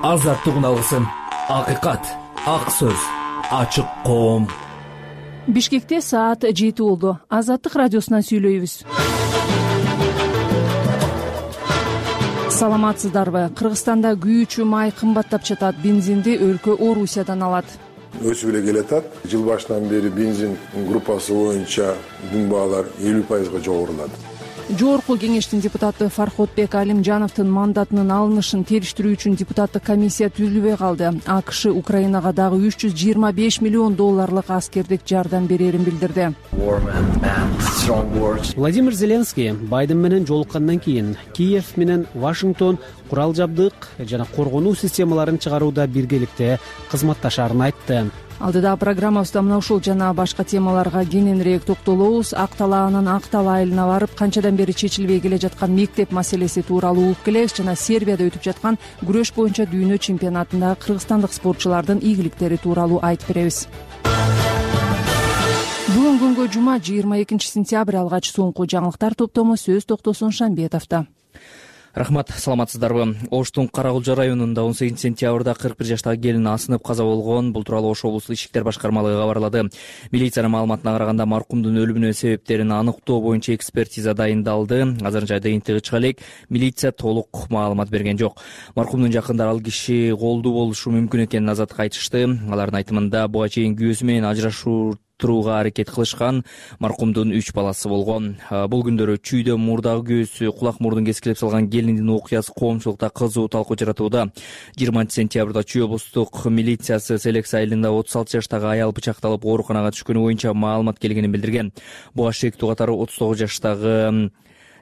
азаттык алгысын, акыйкат, ак сөз, ачык коом. Бишкекте саат 7 болду. Азаттык радиосунан сүйлөйбүз. Саламатсыздарбы? Кыргызстанда күйүүчү май кымбаттап жатат. Бензинди өлкө Орусиядан алат. Өсүп эле келатат. Жыл башынан бери бензин группасы боюнча дүн баалар 50% жогорулады. Жогорку кеңештин депутаты Фарходбек Алимжановдун мандатынын алынышын териштирүү үчүн депутаттык комиссия түзүлбөй калды. АКШ Украинага дагы $325 миллион аскердик жардам берерин билдирди. Владимир Зеленский Байден менен жолуккандан кийин Киев менен Вашингтон курал жабдык жана коргонуу системаларын чыгарууда биргеликте кызматташаарын айтты. Алдыда программабызда мына ушул жана башка темаларга кененирээк токтолобуз. Ак талаанын Ак Тала айылына барып, канчадан бери чечилбей келе жаткан мектеп маселеси тууралуу угуп келебиз жана Сербияда өтүп жаткан күрөш боюнча дүйнө чемпионатындагы кыргызстандык спортчулардын ийгиликтери тууралуу айтып беребиз. Бүгүн күнгө жума 22 сентябрь алгач соңку жаңылыктар топтому сөз токтосун Шамбетовдо. Рахмат, саламатсыздарбы? Оштун Карагулжа районунда 18 сентябрда 41 жаштагы келин асынып каза болгон. Бул тууралуу Ош облустук ички иштер башкармалыгы кабарлады. Милициянын маалыматына караганда маркумдун өлүмүнүн себептерин аныктоо боюнча экспертиза дайындалды. Азырынча жыйынтыгы чыга элек, милиция толук маалымат берген жок. Маркумдун жакындары ал киши колдуу болушу мүмкүн экенин азаттыкка айтышты. Алардын айтымында буга чейин күйөөсү менен ажырашууга аракет кылышкан. Маркумдун 3 баласы болгон. Бул күндөрү чүйдө мурдагы күйөөсү кулак мурдун кескилеп салган келиндин окуясы коомчулукта кызуу талкуу жаратууда. 20 сентябрда Чүй облустук милициясы Селекс айылында 36 жаштагы аял бычакталып ооруканага түшкөнү боюнча маалымат келгенин билдирген. Буга шектүү катары 39 жаштагы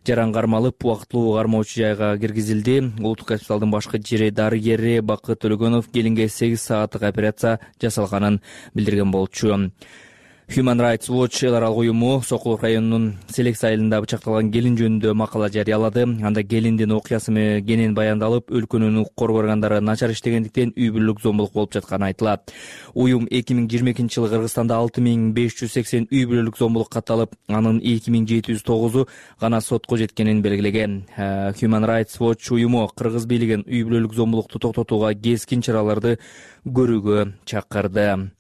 жаран кармалып, убактылуу кармоочу жайга киргизилди. Улуттук госпиталдын башкы дарыгери Бакыт Төлөгөнов келинге 8 сааттык операция жасалганын билдирген болчу. Human Rights Watch эл аралык уюму Сокулук районунун Селекс айылында бычакталган келин жөнүндө макала жарыялады. Анда келиндин окуясы кенен баяндалып, өлкөнүн укук органдары начар иштегендиктен үй бүлөлүк зомбулук болуп жатканы айтылат. Уюм 2022 жылы Кыргызстанда 6580 үй бүлөлүк зомбулук катталып, анын 2709у гана сотко жеткенин белгилеген. Human Rights Watch уюму кыргыз бийлигин үй бүлөлүк зомбулукту токтотууга кескин чараларды көрүүгө чакырды.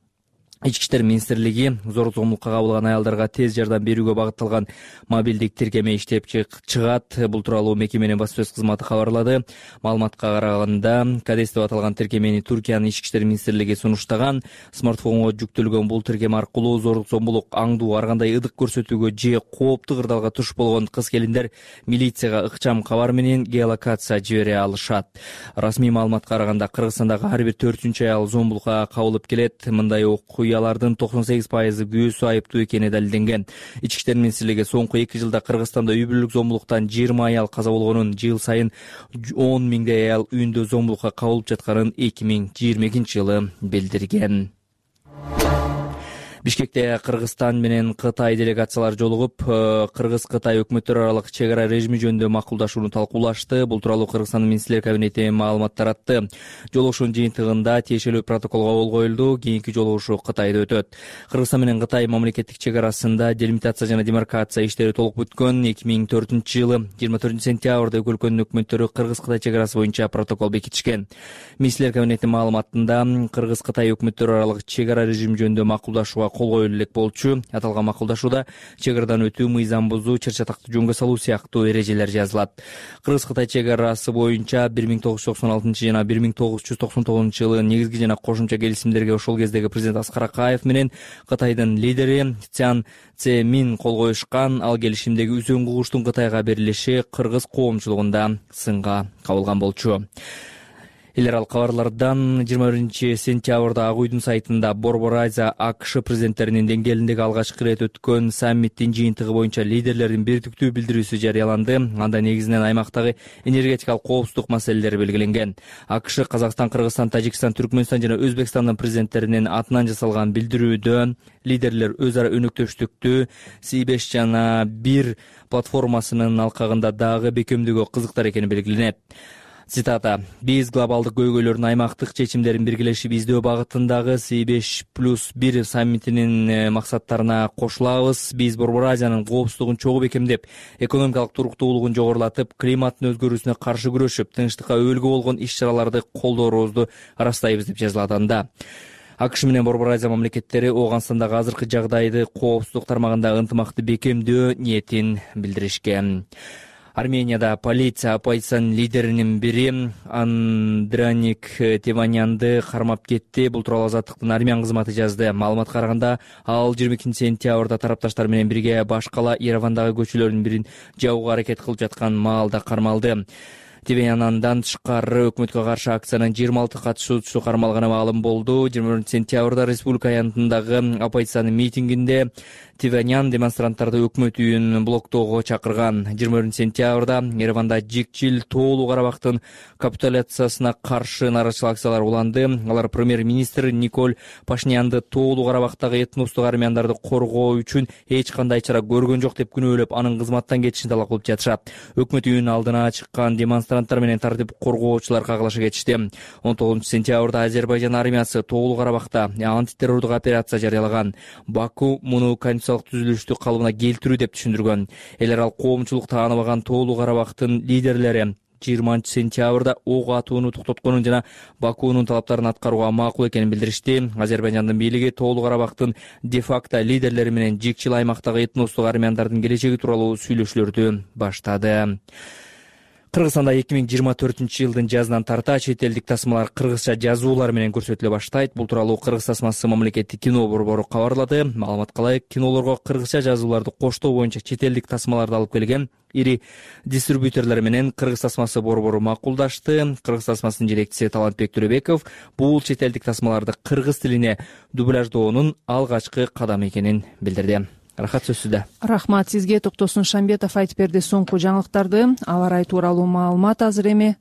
Ички иштер министрлиги зорлук зомбулукка кабылган аялдарга тез жардам берүүгө багытталган мобилдик тиркеме иштеп чыгат. Бул тууралуу мекеменин басма сөз кызматы кабарлады. Маалыматка караганда, Кадес деп аталган тиркемени Туркиянын ички иштер министрлиги сунуштаган. Смартфонго жүктөлгөн бул тиркеме аркылуу зорлук зомбулук, аңдуу, ар кандай ыдык көрсөтүүгө же кооптуу кырдаалга туш болгон кыз-келиндер милицияга ыкчам кабар менен геолокация жибере алышат. Расмий маалыматка караганда, Кыргызстандагы ар бир 4-чү аял зомбулукка кабылып келет. Мындай окуялардын 98% күйөөсү айыптуу экени далилденген. Ички иштер министрлиги соңку 2 жылда Кыргызстанда үй бүлөлүк зомбулуктан 20 аял каза болгонун, жыл сайын 10 миңдей аял үйүндө зомбулукка кабылып жатканын 2022 жылы билдирген. Бишкекте Кыргызстан менен Кытай делегациялары жолугуп, Кыргыз-Кытай өкмөттөр аралык чек ара режими жөнүндө макулдашууну талкуулашты. Бул тууралуу Кыргызстандын министрлер кабинети маалымат таратты. Жолугушуунун жыйынтыгында тиешелүү протоколго кол коюлду. Кийинки жолугушуу Кытайда өтөт. Кыргызстан менен Кытай мамлекеттик чек арасында делимитация жана демаркация иштери толук бүткөн. 2004 жылы 24 сентябрда эки өлкөнүн өкмөттөрү Кыргыз-Кытай чек арасы боюнча протокол бекитишкен. Министрлер кабинетинин маалыматында Кыргыз-Кытай өкмөттөрү аралык чек ара режими жөнүндө макулдашууга кол коюлуу элек болчу. Аталган макулдашууда чек арадан өтүү, мыйзам бузуу, чыр-чатакты жөнгө салуу сыяктуу эрежелер жазылат. Кыргыз-Кытай чек арасы боюнча 1996 жана 1999 жылы негизги жана кошумча келисимдерге ошол кездеги президент Аскар Акаев менен Кытайдын лидери Цян Цземин кол коюшкан. Ал келишимдеги үзөң кугуштун Кытайга берилиши кыргыз коомчулугунда сынга кабылган болчу. Эл аралык кабарлардан 21 сентябрда Ак уйдун сайтында Борбор Азия АКШ президенттеринин деңгээлиндеги алгачкы ирет өткөн саммиттин жыйынтыгы боюнча лидерлердин бирдиктүү билдирүүсү жарыяланды. Анда негизинен аймактагы энергетикалык коопсуздук маселелери белгиленген. АКШ, Казакстан, Кыргызстан, Тажикстан, Түркмөнстан жана Өзбекстандын президенттеринин атынан жасалган билдирүүдө лидерлер өз ара өнөктөштүктү C5 жана 1 платформасынын алкагында дагы бекемдөөгө кызыктар экени белгиленет. Цитата: «Биз глобалдык көйгөйлөрдүн аймактык чечимдерин биргелешип издөө багытындагы C5+1 саммитинин максаттарына кошулабыз. Биз Борбор Азиянын коопсуздугун чогуу бекемдеп, экономикалык туруктуулугун жогорулатып, климаттын өзгөрүүсүнө каршы күрөшүп, тынчтыкка өбөлгө болгон иш-чараларды колдоорубузду ырастайбыз» деп жазылат анда. АКШ менен Борбор Азия мамлекеттери Ооганстандагы азыркы жагдайды коопсуздук тармагында ынтымакты бекемдөө ниетин билдиришкен. Арменияда полиция оппозициянын лидеринин бири Андраник Теванянды кармап кетти. Бул тууралуу Азаттыктын армян кызматы жазды. Маалыматка караганда, ал 22-сентябрда тарапташтар менен бирге башкала Еревандагы көчөлөрдүн бирин жабууга аракет кылып жаткан маалда кармалды. Теваняндан тышкары өкмөткө каршы акциянын 26 катышуучусу кармалганы маалым болду. 20-сентябрда республика аянтындагы оппозициянын митингинде Теванян демонстранттарды өкмөт үйүн блоктоого чакырган. 20-сентябрда Ереванда жикчил тоолуу Карабактын капитуляциясына каршы нааразычылык акциялар уланды. Алар премьер-министр Николь Пашинянды тоолуу Карабактагы этностук армяндарды коргоо үчүн эч кандай чара көргөн жок деп күнөөлөп, анын кызматтан кетишин талап кылып жатышат. Өкмөт үйүнүн алдына чыккан демонстранттар менен тартип коргоочулар кагылаша кетишти. 19-сентябрда Азербайжан армиясы тоолуу Карабакта антитеррордук операция жарыялаган. Баку муну конституциялык түзүлүштү калыбына келтирүү деп түшүндүргөн. Элер ал коомчулук тааныбаган тоолуу Карабактын лидерлери 20-сентябрда ок атууну токтотконун жана Бакунун талаптарын аткарууга макул экенин билдиришти. Азербайжандын бийлиги тоолуу Карабактын де-факто лидерлери менен жикчил аймактагы этностук армяндардын келечеги тууралуу сүйлөшүүлөрдү баштады. Кыргызстанда 2024-жылдын жазынан тарта чет элдик тасмалар кыргызча жазуулар менен көрсөтүлө баштайт. Бул тууралуу Кыргыз тасмасы мамлекеттик кино борбору кабарлады. Маалыматка ылайык, кинолорго кыргызча жазууларды коштоо боюнча чет элдик тасмаларды алып келген ири дистрибьюторлор менен Кыргыз тасмасы борбору макулдашты. Кыргыз тасмасынын жетекчиси Талантбек Төрөбеков бул чет элдик тасмаларды кыргыз тилине дубляждоонун алгачкы кадамы экенин билдирди. Рахат, сөз сизде. Рахмат сизге. Токтосун Шамбетов айтып берди соңку жаңылыктарды. Аба ырайы тууралуу маалымат азыр эми.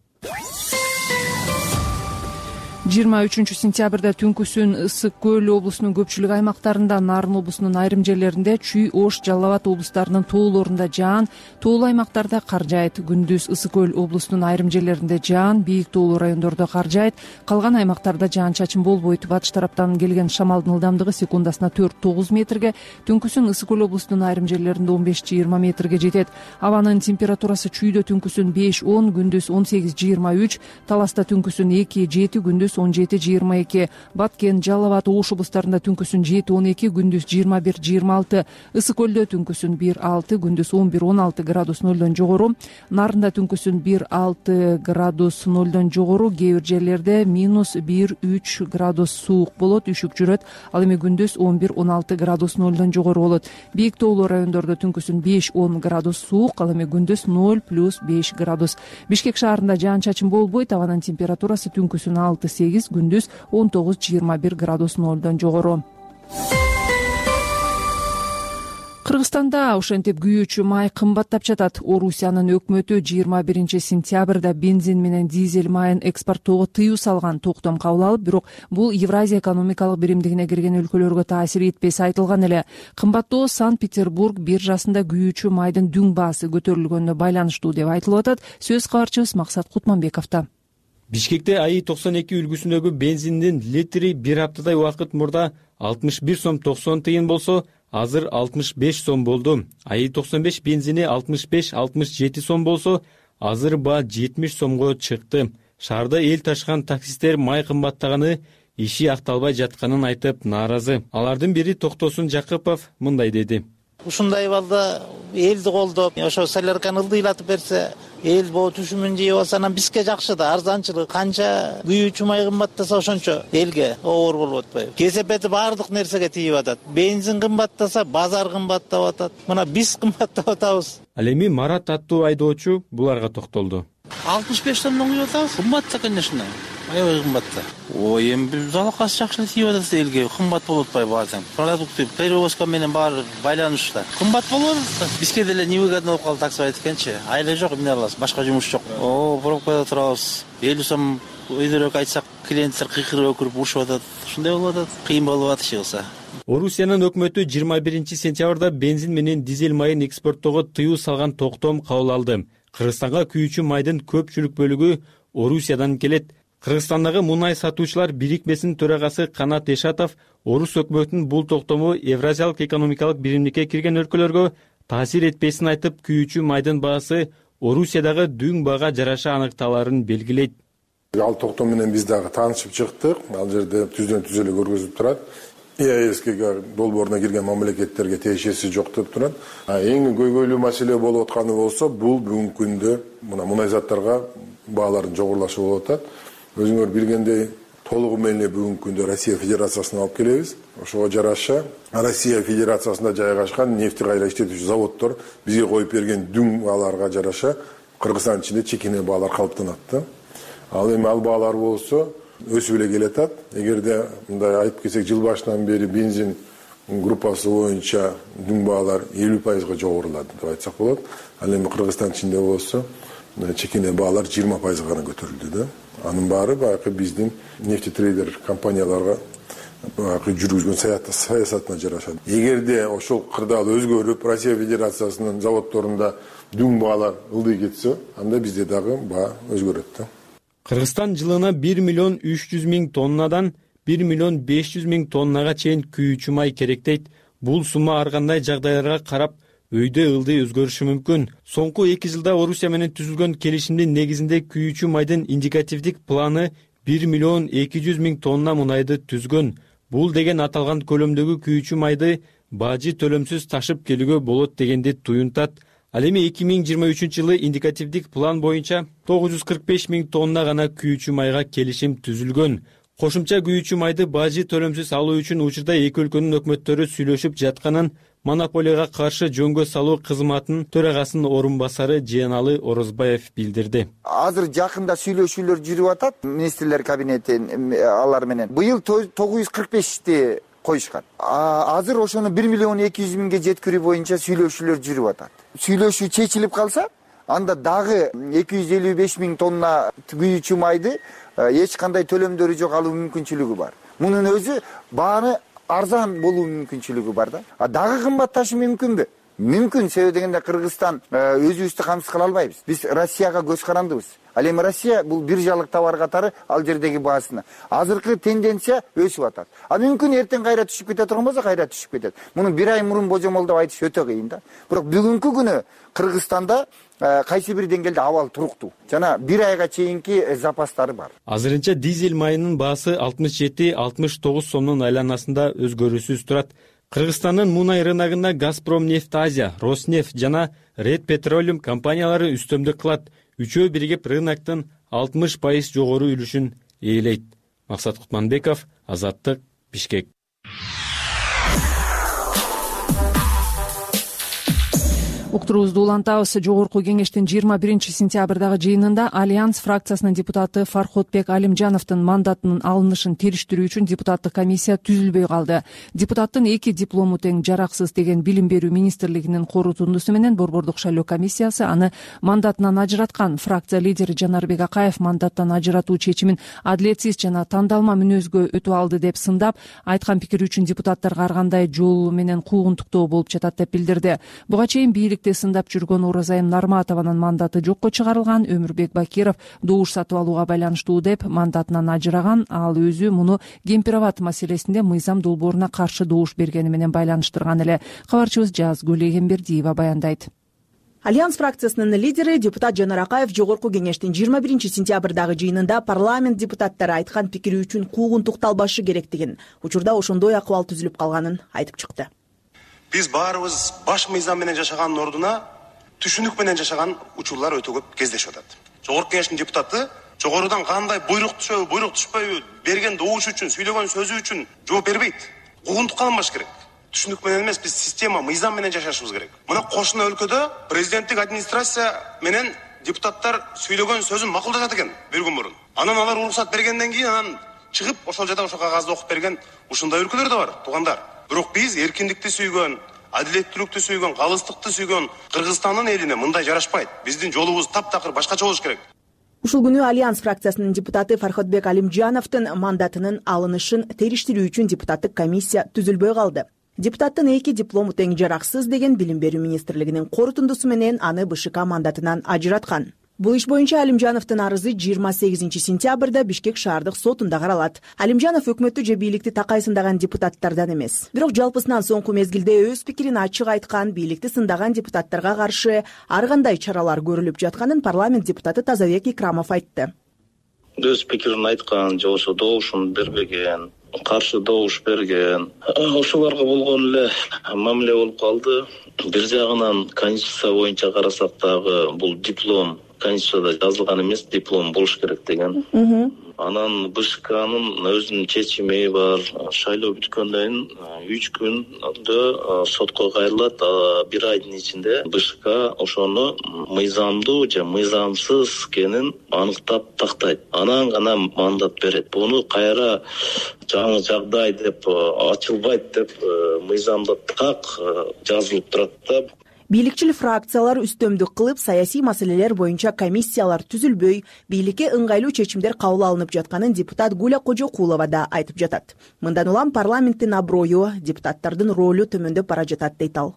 23-сентябрда түнкүсүн Ысык Көл облусунун көпчүлүк аймактарында, Нарын облусунун айрым жерлеринде, Чүй, Ош, Жалал Абад облустарынын тоолорунда жаан, тоолуу аймактарда кар жаайт. Күндүз Ысык Көл облусунун айрым жерлеринде жаан, бийик тоолуу райондордо кар жаайт. Калган аймактарда жаан-чачын болбойт. Батыш тараптан келген шамалдын ылдамдыгы секундасына 4-9 метрге, түнкүсүн Ысык Көл облусунун айрым жерлеринде 15-20 метрге жетет. Абанын температурасы Чүйдө түнкүсүн 5-10, күндүз 18-23, Таласта түнкүсүн 2-7, күндүз 17-22, Баткен, Жалал Абад, Ош облустарында түнкүсүн 7-12, күндүз 21-26, Ысык Көлдө түнкүсүн 1-6, күндүз 11-16 градус нөлдөн жогору, Нарында түнкүсүн 1-6 градус нөлдөн жогору, кээ бир жерлерде -1-3 градус суук болот, үшүк жүрөт. Ал эми күндүз 11-16 градус нөлдөн жогору болот. Бийик тоолуу райондордо түнкүсүн 5-10 градус суук, ал эми күндүз 0+5 градус. Бишкек шаарында жаан-чачын болбойт. Абанын температурасы түнкүсүн 6-8, күндүз 19-21 градус нөлдөн жогору. Кыргызстанда ошентип күйүүчү май кымбаттап жатат. Орусиянын өкмөтү 21-сентябрда бензин менен дизель майын экспорттоого тыюу салган токтом кабыл алып, бирок бул Евразия экономикалык биримдигине кирген өлкөлөргө таасир этпеси айтылган эле. Кымбаттоо Санкт-Петербург биржасында күйүүчү майдын дүң баасы көтөрүлгөнүнө байланыштуу деп айтылып атат. Сөз кабарчыбыз Максат Кутманбековдо. Бишкекте АИ-92 үлгүсүндөгү бензиндин литри бир аптадай убакыт мурда 61 сом 90 тыйын болсо, азыр 65 сом болду. АИ-95 бензини 65-67 сом болсо, азыр баа 70 сомго чыкты. Шаарда эл ташыган таксисттер май кымбаттаганы, иши акталбай жатканын айтып нааразы. Алардын бири Токтосун Жакыпов мындай деди. Ушундай балда элди колдоп, ошо солярканы ылдыйлатып берсе, эл боо түшүмүн жеп алса, анан бизге жакшы да, арзанчылык. Канча күйүүчү май кымбаттаса ошончо элге оор болуп атпайбы? Кесепети баардык нерсеге тийип атат. Бензин кымбаттаса, базар кымбаттап атат. Мына биз кымбаттап атабыз. Ал эми Марат аттуу айдоочу буларга токтолду. 65 сомдон күйүп атабыз. Кымбатта, конечно. Аябай кымбатта. Ой, эми залакасы жакшы эле тийип атат элге. Кымбат болуп атпайбы баардык? Продукты перевозка менен баары байланышта. Кымбат болуп атат. Бизге деле невыгодно болуп калды, таксы айтканчы. Айла жок, эмне аласыз? Башка жумуш жок. Пробкада турабыз. 50 сом өйдөрөөк айтсак, клиенттер кыйкырып өкүрүп урушуп атат. Ушундай болуп атат. Кыйын болуп атат чыгылса. Орусиянын өкмөтү 21-сентябрда бензин менен дизель майын экспорттоого тыюу салган токтом кабыл алды. Кыргызстанга күйүүчү майдын көпчүлүк бөлүгү Орусиядан келет. Кыргызстандагы мунай сатуучулар бирикмесинин төрагасы Канат Эшатов Орус өкмөтүнүн бул токтому Евразиялык экономикалык биримдикке кирген өлкөлөргө таасир этпесин айтып, күйүүчү майдын баасы Орусиядагы дүң баага жараша аныкталарын белгилейт. Ал токтом менен биз дагы таанышып чыктык. Ал жерде түздөн түз эле көргөзүлүп турат. ЕАЭСке долбооруна кирген мамлекеттерге тиешеси жок деп турат. Эң көйгөйлүү маселе болуп атканы болсо, бул бүгүнкү күндө мына мунай заттарга баалардын жогорулашы болуп атат. Өзүңөр билгендей, толугу менен бүгүнкү күндө Россия Федерациясына алып келебиз. Ошого жараша Россия Федерациясында жайгашкан нефти кайра иштетүүчү заводдор бизге коюп берген дүң бааларга жараша Кыргызстан ичинде чекене баалар калыптанат. Ал эми ал баалар болсо өсүп эле келатат. Эгерде мындай айтып кетсек, жыл башынан бери бензин группасы боюнча дүң баалар 50% жогорулады деп айтсак болот. Ал эми Кыргызстан ичинде болсо чекене баалар 20% гана көтөрүлдү да. Анын баары баягы биздин нефтетрейдер компанияларга жүргүзгөн саясатына жарашат. Эгерде ошол кырдаал өзгөрүп, Россия Федерациясынын заводдорунда дүң баалар ылдый кетсе, анда бизде дагы баа өзгөрөт да. Кыргызстан жылына 1.300.000 тоннадан 1.500.000 тоннага чейин күйүүчү май керектейт. Бул сумма ар кандай жагдайларга карап өйдө ылдый өзгөрүшү мүмкүн. Соңку 2 жылда Орусия менен түзүлгөн келишимдин негизинде күйүүчү майдын индикативдик планы 1.200.000 тонна мунайды түзгөн. Бул деген аталган көлөмдөгү күйүүчү майды бажы төлөмсүз ташып келүүгө болот дегенди туюнтат. Ал эми 2023 жылы индикативдик план боюнча 945.000 тонна гана күйүүчү майга келишим түзүлгөн. Кошумча күйүүчү майды бажы төлөмсүз алуу үчүн учурда эки өлкөнүн өкмөттөрү сүйлөшүп жатканын монополияга каршы жөнгө салуу кызматынын төрагасынын орун басары Жыяналы Орозбаев билдирди. Азыр жакында сүйлөшүүлөр жүрүп атат министрлер кабинети алар менен. Быйыл 945ти коюшкан. Азыр ошону 1.200.000 жеткирүү боюнча сүйлөшүүлөр жүрүп атат. Сүйлөшүү чечилип калса, анда дагы 255.000 тонна күйүүчү майды эч кандай төлөмдөрү жок алуу мүмкүнчүлүгү бар. Мунун өзү бааны арзан болуу мүмкүнчүлүгү бар да. Дагы кымбатташы мүмкүнбү? Мүмкүн, себеби дегенде Кыргызстан өзүбүздү камсыз кыла албайбыз. Биз Россияга көз карандыбыз. Ал эми Россия бул биржалык товар катары ал жердеги баасына. Азыркы тенденция өсүп атат. Мүмкүн эртең кайра түшүп кете турган болсо кайра түшүп кетет. Муну 1 ай мурун божомолдоп айтыш өтө кыйын да. Бирок бүгүнкү күнү Кыргызстанда кайсы бир деңгээлде абал туруктуу. Жана 1 айга чейинки запастары бар. Азырынча дизель майынын баасы 67-69 сомдун айланасында өзгөрүүсүз турат. Кыргызстандын мунай рыногуна Газпром нефть Азия, Роснефть жана Red Petroleum компаниялары үстөмдүк кылат. Үчөө биригип рыноктун 60% жогору үлүшүн ээлейт. Максат Кутманбеков, Азаттык, Бишкек. Уктуруубузду улантабыз. Жогорку кеңештин 21 сентябрдагы жыйынында Альянс фракциясынын депутаты Фарходбек Алимжановдун мандатынын алынышын териштирүү үчүн депутаттык комиссия түзүлбөй калды. Депутаттын 2 диплому тең жараксыз деген билим берүү министрлигинин корутундусу менен Борбордук шайлоо комиссиясы аны мандатынан ажыраткан. Фракция лидери Жанарбек Акаев мандаттан ажыратуу чечимин адилетсиз жана тандалма мүнөзгө өтүп алды деп сындап, айткан пикири үчүн депутаттарга ар кандай жол менен куугунтуктоо болуп жатат деп билдирди. Буга чейин сындап жүргөн Оразайым Нарматованын мандаты жокко чыгарылган. Өмүрбек Бакиров добуш сатып алууга байланыштуу деп мандатынан ажыраган. Ал өзү муну Кемпироват маселесинде мыйзам долбооруна каршы добуш бергени менен байланыштырган эле. Кабарчыбыз Жазгүл Эгембердиева баяндайт. Альянс фракциясынын лидери депутат Жанар Акаев жогорку кеңештин 21 сентябрдагы жыйынында парламент депутаттары айткан пикири үчүн куугунтукталбашы керектигин, учурда ошондой акыбал түзүлүп калганын айтып чыкты. Биз баарыбыз баш мыйзам менен жашаганын ордуна түшүнүк менен жашаган учурлар өтө көп кездешип атат. Жогорку кеңештин депутаты жогорудан кандай буйрук түшөбү, буйрук түшпөйбү, берген добуш үчүн, сүйлөгөн сөзү үчүн жооп бербейт. Куугунтукка алынбаш керек. Түшүнүк менен эмес, биз система, мыйзам менен жашашыбыз керек. Мына кошуна өлкөдө президенттик администрация менен депутаттар сүйлөгөн сөзүн макулдашат экен бир күн мурун. Анан алар уруксат бергенден кийин анан чыгып ошол жерде ошо кагазды окуп берген ушундай өлкөлөр да бар, туугандар. Бирок биз эркиндикти сүйгөн, адилеттүүлүктү сүйгөн, калыстыкты сүйгөн Кыргызстандын элине мындай жарашпайт. Биздин жолубуз таптакыр башкача болуш керек. Ушул күнү Альянс фракциясынын депутаты Фарходбек Алимжановдун мандатынын алынышын териштирүү үчүн депутаттык комиссия түзүлбөй калды. Депутаттын 2 диплому тең жараксыз деген билим берүү министрлигинин корутундусу менен аны БШК мандатынан ажыраткан. Бул иш боюнча Алимжановдун арызы 28 сентябрда Бишкек шаардык сотунда каралат. Алимжанов өкмөттү же бийликти такай сындаган депутаттардан эмес. Бирок жалпысынан соңку мезгилде өз пикирин ачык айткан, бийликти сындаган депутаттарга каршы ар кандай чаралар көрүлүп жатканын парламент депутаты Тазабек Икрамов айтты. Өз пикирин айткан, же болбосо добушун бербеген, каршы добуш берген, ошолорго болгон эле мамиле болуп калды. Бир жагынан конституция боюнча карасак дагы бул диплом конституцияда жазылган эмес, диплом болуш керек деген. Анан БШКнын өзүнүн чечими бар. Шайлоо бүткөндөн 3 күндө сотко кайрылат. 1 айдын ичинде БШК ошону мыйзамдуу же мыйзамсыз экенин аныктап тактайт. Анан гана мандат берет. Буну кайра жаңы жагдай деп ачылбайт деп мыйзамда так жазылып турат да. Бийликчил фракциялар үстөмдүк кылып, саясий маселелер боюнча комиссиялар түзүлбөй, бийликке ыңгайлуу чечимдер кабыл алынып жатканын депутат Гуля Кожокулова да айтып жатат. Мындан улам парламенттин аброю, депутаттардын ролу төмөндөп бара жатат дейт ал.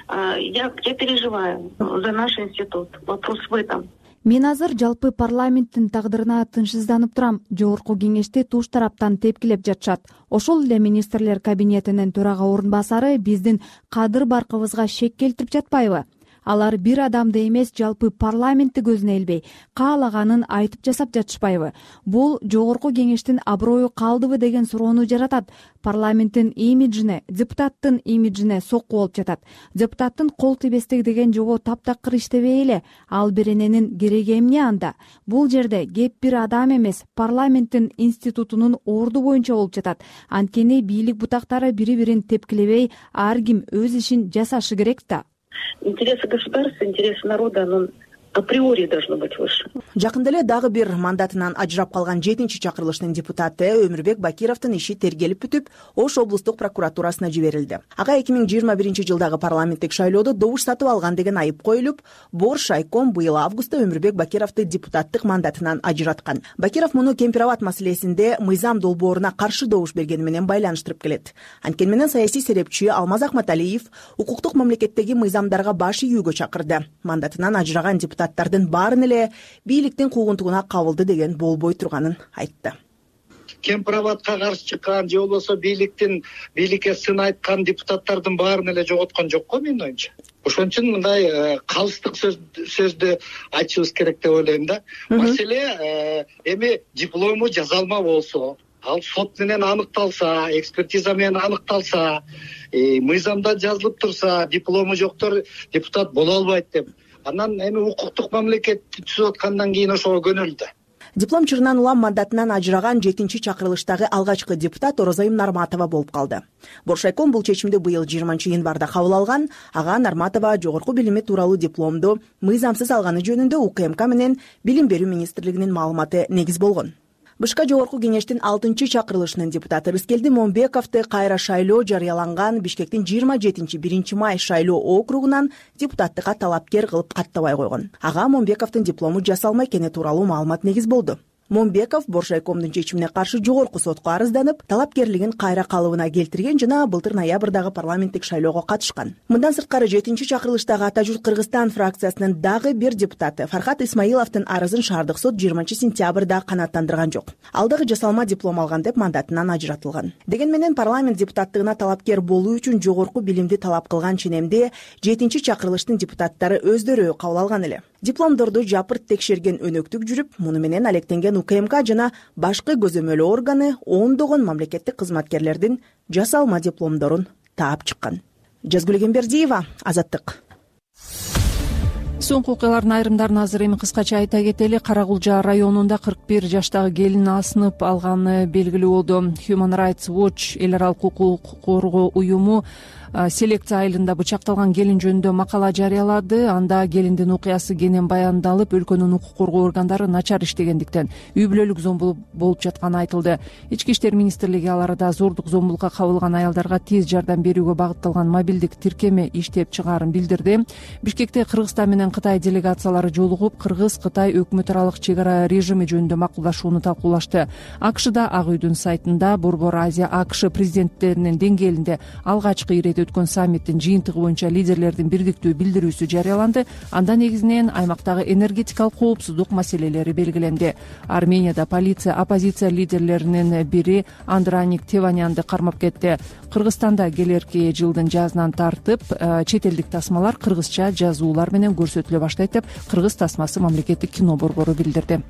Я переживаю за наш институт. Вопрос в этом. Мен азыр жалпы парламенттин тагдырына тынчсызданып турам. Жогорку кеңешти туш тараптан тепкилеп жатышат. Ошол эле министрлер кабинетинин төрага орун басары биздин кадыр баркыбызга шек келтирип жатпайбы? Алар бир адамды эмес, жалпы парламентти көзүнө илбей, каалаганын айтып жасап жатышпайбы? Бул жогорку кеңештин аброю калдыбы деген суроону жаратат. Парламенттин имиджине, депутаттын имиджине сокку болуп жатат. Депутаттын кол тийбестик деген жобо таптакыр иштебей эле. Ал берененин кереги эмне анда? Бул жерде кеп бир адам эмес, парламенттин институтунун орду боюнча болуп жатат. Анткени бийлик бутактары бири-бирин тепкилебей, ар ким өз ишин жасашы керек да. Интересы государства, интересы народа, но априори должно быть выше. Жакында эле дагы бир мандатынан ажырап калган 7-чи чакырылыштын депутаты Өмүрбек Бакировдун иши тергелип бүтүп, Ош облустук прокуратурасына жиберилди. Ага 2021-жылдагы парламенттик шайлоодо добуш сатып алган деген айып коюлуп, Борш Айком быйыл августта Өмүрбек Бакировду депутаттык мандатынан ажыраткан. Бакиров муну Кемпирабад маселесинде мыйзам долбооруна каршы добуш бергени менен байланыштырып келет. Анткени менен саясий серепчи Алмаз Акматалиев укуктук мамлекеттеги мыйзамдарга баш ийүүгө чакырды. Мандатынан ажыраган депутаттардын баарын эле бийликтин куугунтугуна кабылды деген болбой турганын айтты. Кемпирабадка каршы чыккан же болбосо бийликке сын айткан депутаттардын баарын эле жоготкон жок го менин оюмча. Ошон үчүн мындай калыстык сөздү айтышыбыз керек деп ойлойм да. Маселе эми диплому жазалма болсо, ал сот менен аныкталса, экспертиза менен аныкталса, мыйзамда жазылып турса, диплому жоктор депутат боло албайт деп. Анан эми укуктук мамлекетти түзүп аткандан кийин ошого көнүлдү. Диплом чырынан улам мандатынан ажыраган 7-чи чакырылыштагы алгачкы депутат Орозайым Нарматова болуп калды. Боршайком бул чечимди быйыл 20-январда кабыл алган. Ага Нарматова жогорку билими тууралуу дипломду мыйзамсыз алганы жөнүндө УКМК менен Билим берүү министрлигинин маалыматы негиз болгон. БШК жогорку кеңештин 6-чы чакырылышынын депутаты Рыскелди Момбековду кайра шайлоо жарыяланган Бишкектин 27-1 май шайлоо округунан депутаттыкка талапкер кылып каттабай койгон. Ага Момбековдун диплому жасалма экени тууралуу маалымат негиз болду. Момбеков Боршайкомдун чечимине каршы жогорку сотко арызданып, талапкерлигин кайра калыбына келтирген жана былтыр ноябрдагы парламенттик шайлоого катышкан. Мындан сырткары 7-чи чакырылыштагы Ата журт Кыргызстан фракциясынын дагы бир депутаты Фархат Исмаиловдун арызын шаардык сот 20 сентябрда канааттандырган жок. Ал дагы жасалма диплом алган деп мандатынан ажыратылган. Деген менен парламент депутаттыгына талапкер болуу үчүн жогорку билимди талап кылган ченемди 7-чи чакырылыштын депутаттары өздөрү кабыл алган эле. Дипломдорду жапырт текшерген өнөктүк жүрүп, муну менен алектенген УКМК жана башкы көзөмөлөө органы ондогон мамлекеттик кызматкерлердин жасалма дипломдорун таап чыккан. Жазгүл Эмбердиева, Азаттык. Соңку окуялардын айрымдарын азыр эми кыскача айта кетели. Карагулжа районунда 41 жаштагы келин асынып алганы белгилүү болду. Human Rights Watch эл аралык укук коргоо уюму селекция айылында бычакталган келин жөнүндө макала жарыялады. Анда келиндин окуясы кенен баяндалып, өлкөнүн укук коргоо органдары начар иштегендиктен үй бүлөлүк зомбулук болуп жатканы айтылды. Ички иштер министрлиги ал арада зордук зомбулукка кабылган аялдарга тез жардам берүүгө багытталган мобилдик тиркеме иштеп чыгаарын билдирди. Бишкекте Кыргызстан менен Кытай делегациялары жолугуп, Кыргыз-Кытай өкмөт аралык чек ара режими жөнүндө макулдашууну талкуулашты. АКШда Ак үйдүн сайтында Борбор Азия АКШ президенттеринин деңгээлинде алгачкы ирет өткөн саммиттин жыйынтыгы боюнча лидерлердин бирдиктүү билдирүүсү жарыяланды. Анда негизинен аймактагы энергетикалык коопсуздук маселелери белгиленди. Арменияда оппозиция лидерлеринин бири Андраник Теванянды кармап кетти. Кыргызстанда келерки жылдын жазынан тартып чет элдик тасмалар кыргызча жазуулар менен көрсөтүлө баштайт деп Кыргыз тасмасы мамлекеттик кино борбору билдирди.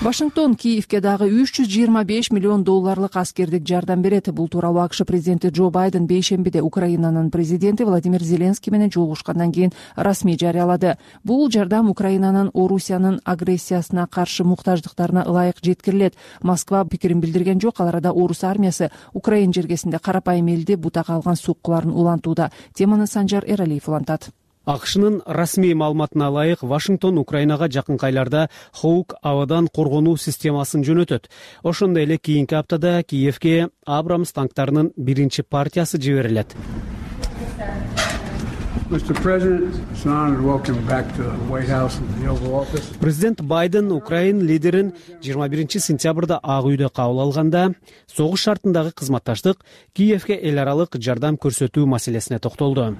Вашингтон Киевке дагы $325 миллион аскердик жардам берет. Бул тууралуу АКШ президенти Джо Байден бейшембиде Украинанын президенти Владимир Зеленский менен жолугушкандан кийин расмий жарыялады. Бул жардам Украинанын Орусиянын агрессиясына каршы муктаждыктарына ылайык жеткирилет. Москва пикирин билдирген жок. Ал арада Орус армиясы Украин жергесинде карапайым элди бутага алган соккуларын улантууда. Теманы Санжар Эралиев улантат. АКШнын расмий маалыматына ылайык, Вашингтон Украинага жакынкы айларда Хоук абадан коргонуу системасын жөнөтөт. Ошондой эле кийинки аптада Киевке Абрамс танктарынын биринчи партиясы жиберилет. Президент Байден Украин лидерин 21-сентябрда Ак үйдө кабыл алганда согуш шартындагы кызматташтык Киевке эл аралык жардам көрсөтүү маселесине токтолду.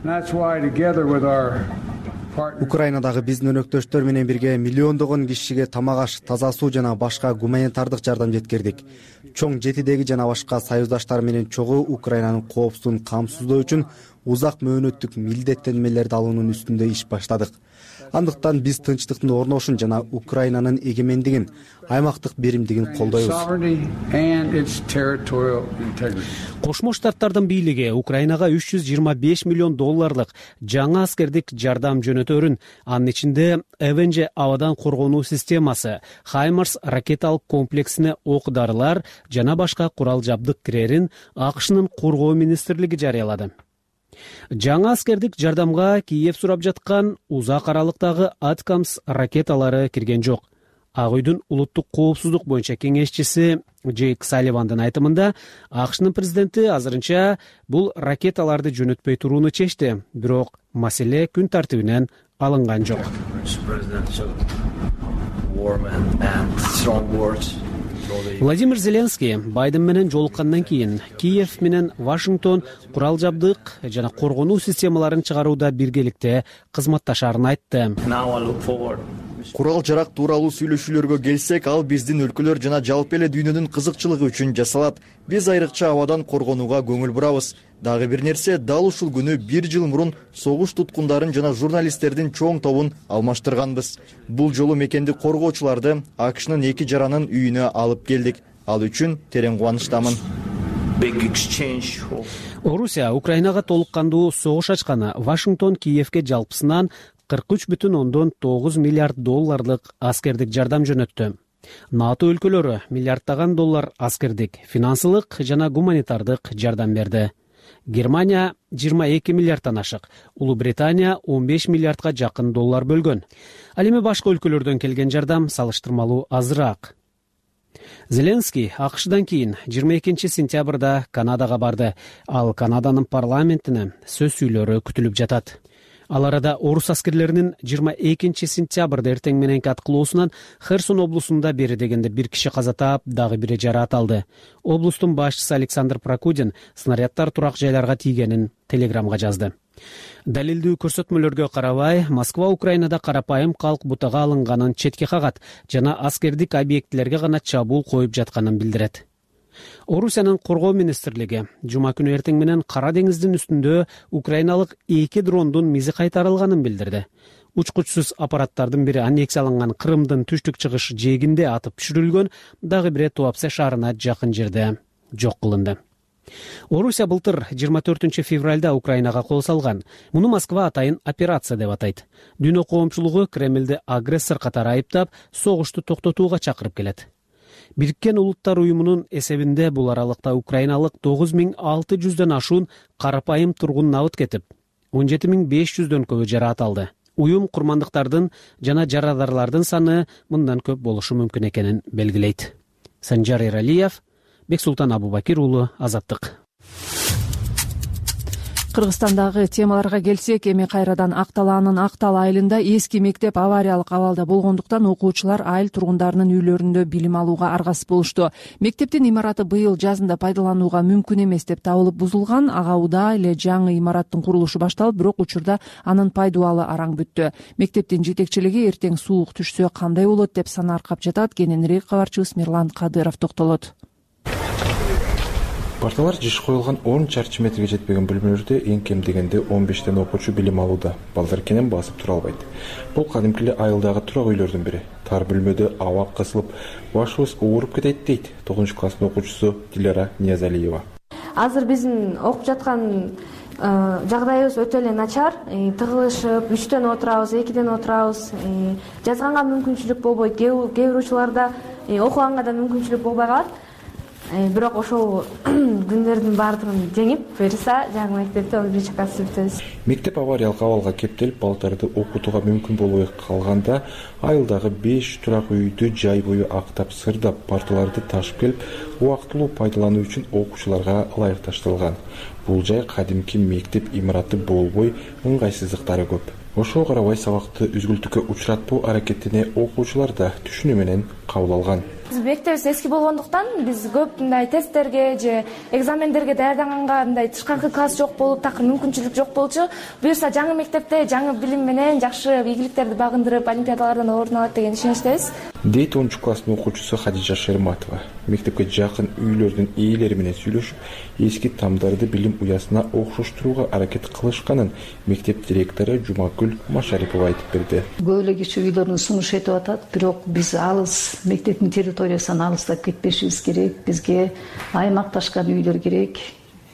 Украинадагы биздин өнөктөштөр менен бирге миллиондогон кишиге тамак аш, таза суу жана башка гуманитардык жардам жеткирдик. Чоң жетидеги жана башка союздаштар менен чогуу Украинанын коопсуздугун камсыздоо үчүн узак мөөнөттүк милдеттенмелерди алуунун үстүндө иш баштадык. Андыктан биз тынчтыктын орношун жана Украинанын эгемендигин, аймактык беримдигин колдойбуз. Кошмо Штаттардын бийлиги Украинага $325 миллион жаңа аскердик жардам жөнөтөрүн, анын ичинде ЭВНЖ абадан коргонуу системасы, Хаймарс ракеталык комплексине ок-дарылар жана башка курал жабдык кирерин АКШнын коргоо министрлиги жарыялады. Жаңа аскердик жардамга Киев сурап жаткан узак аралыктагы Аткамс ракеталары кирген жок. Ак үйдүн улуттук коопсуздук боюнча кеңешчиси Джейк Салливандын айтымында, АКШнын президенти азырынча бул ракеталарды жөнөтпөй турууну чечти, бирок маселе күн тартибинен алынган жок. Владимир Зеленский Байден менен жолуккандан кийин Киев менен Вашингтон курал жабдык жана коргонуу системаларын чыгарууда биргеликте кызматташаарын айтты. Курал жарак тууралуу сүйлөшүүлөргө келсек, ал биздин өлкөлөр жана жалпы эле дүйнөнүн кызыкчылыгы үчүн жасалат. Биз айрыкча абадан коргонууга көңүл бурабыз. Дагы бир нерсе, дал ушул күнү 1 жыл мурун согуш туткундарын жана журналисттердин чоң тобун алмаштырганбыз. Бул жолу мекенди коргоочуларды АКШнын 2 жаранын үйүнө алып келдик. Ал үчүн терең кубанычтамын. Орусия Украинага толук кандуу согуш ачканы Вашингтон Киевке жалпысынан $43,9 миллиард аскердик жардам жөнөттү. НАТО өлкөлөрү миллиарддаган доллар аскердик, финансылык жана гуманитардык жардам берди. Германия 22 миллиарддан ашык, Улуу Британия 15 миллиардга жакын доллар бөлгөн. Ал эми башка өлкөлөрдөн келген жардам салыштырмалуу азыраак. Зеленский АКШдан кийин 22-сентябрда Канадага барды. Ал Канаданын парламентине сөз сүйлөрү күтүлүп жатат. Ал арада орус аскерлеринин 22-сентябрда эртең мененки аткылоосунан Херсон облусунда бери дегенде 1 киши каза таап, дагы бири жараат алды. Облустун башчысы Александр Прокудин снаряддар турак жайларга тийгенин телеграмга жазды. Далилдүү көрсөтмөлөргө карабай, Москва Украинада карапайым калк бутага алынганын четке кагат жана аскердик объектилерге гана чабуул коюп жатканын билдирет. Орусиянын коргоо министрлиги жума күнү эртең менен Кара деңиздин үстүндө украиналык 2 дрондун мизи кайтарылганын билдирди. Учкучсуз аппараттардын бири аннексия алынган Крымдын түштүк-чыгыш жээгинде атып түшүрүлгөн, дагы бири Туапсе шаарына жакын жерде жок кылынды. Орусия былтыр 24 февралда Украинага кол салган. Муну Москва атайын операция деп атайт. Дүйнө коомчулугу Кремлди агрессор катары айыптап, согушту токтотууга чакырып келет. Бириккен Улуттар уюмунун эсебинде бул аралыкта украиналык 9600дөн ашуун карапайым тургун набыт кетип, 17500дөн көбү жараат алды. Уюм курмандыктардын жана жарадарлардын саны мындан көп болушу мүмкүн экенин белгилейт. Санжар Эралиев, Бексултан Абубакир уулу, Азаттык. Кыргызстандагы темаларга келсек, эми кайрадан Акталаанын Актал айылында эски мектеп авариялык абалда болгондуктан окуучулар айыл тургундарынын үйлөрүндө билим алууга аргасыз болушту. Мектептин имараты быйыл жазында пайдаланууга мүмкүн эмес деп табылып бузулган. Ага удаа эле жаңы имараттын курулушу башталып, бирок учурда анын пайдубалы араң бүттү. Мектептин жетекчилиги эртең суук түшсө кандай болот деп санааркап жатат. Кененирээк кабарчыбыз Мирлан Кадыров токтолот. Парталар жиш коюлган 10 чарчы метрге жетпеген бөлмөлөрдө эң кем дегенде 15 окуучу билим алууда. Балдар кенен басып тура албайт. Бул кадимки эле айылдагы турак үйлөрдүн бири. Тар бөлмөдө аба кысылып, башыбыз ооруп кетет дейт 9 класстын окуучусу Дилара Ниязалиева. Азыр биздин окуп жаткан жагдайыбыз өтө эле начар. Тыгылышып, 3дөн отурабыз, 2ден отурабыз. Жазганга мүмкүнчүлүк болбойт. Кээ бир учурларда окуганга да мүмкүнчүлүк болбой калат. Бирок ошол күндөрдүн баардыгын жеңип, буюрса жаңы мектепте 11-класс бүтөбүз. Мектеп авариялык абалга кептелип, балдарды окутууга мүмкүн болбой калганда, айылдагы 5 турак үйдү жай бою актап, сырдап, парталарды ташып келип, убактылуу пайдалануу үчүн окуучуларга ылайыкташтырылган. Бул жай кадимки мектеп имараты болбой, ыңгайсыздыктары көп. Ошого карабай сабакты үзгүлтүккө учуратпоо аракетине окуучулар да түшүнүү менен кабыл алган. Мектебибиз эски болгондуктан биз көп мындай тесттерге же экзамендерге даярданганга мындай тышкаркы класс жок болуп, такыр мүмкүнчүлүк жок болчу. Буюрса жаңы мектепте жаңы билим менен жакшы ийгиликтерди багындырып, олимпиадалардан орун алат деген ишеничтебиз. Дейт 10 класстын окуучусу Хадижа Шерматова. Мектепке жакын үйлөрдүн ээлери менен сүйлөшүп, эски тамдарды билим уясына окшоштурууга аракет кылышканын мектеп директору Жумакүл Машарипова айтып берди. Көп эле киши үйлөрүн сунуш этип атат, бирок биз алыс мектептин территориясынан алыстап кетпешибиз керек. Бизге аймакташкан үйлөр керек.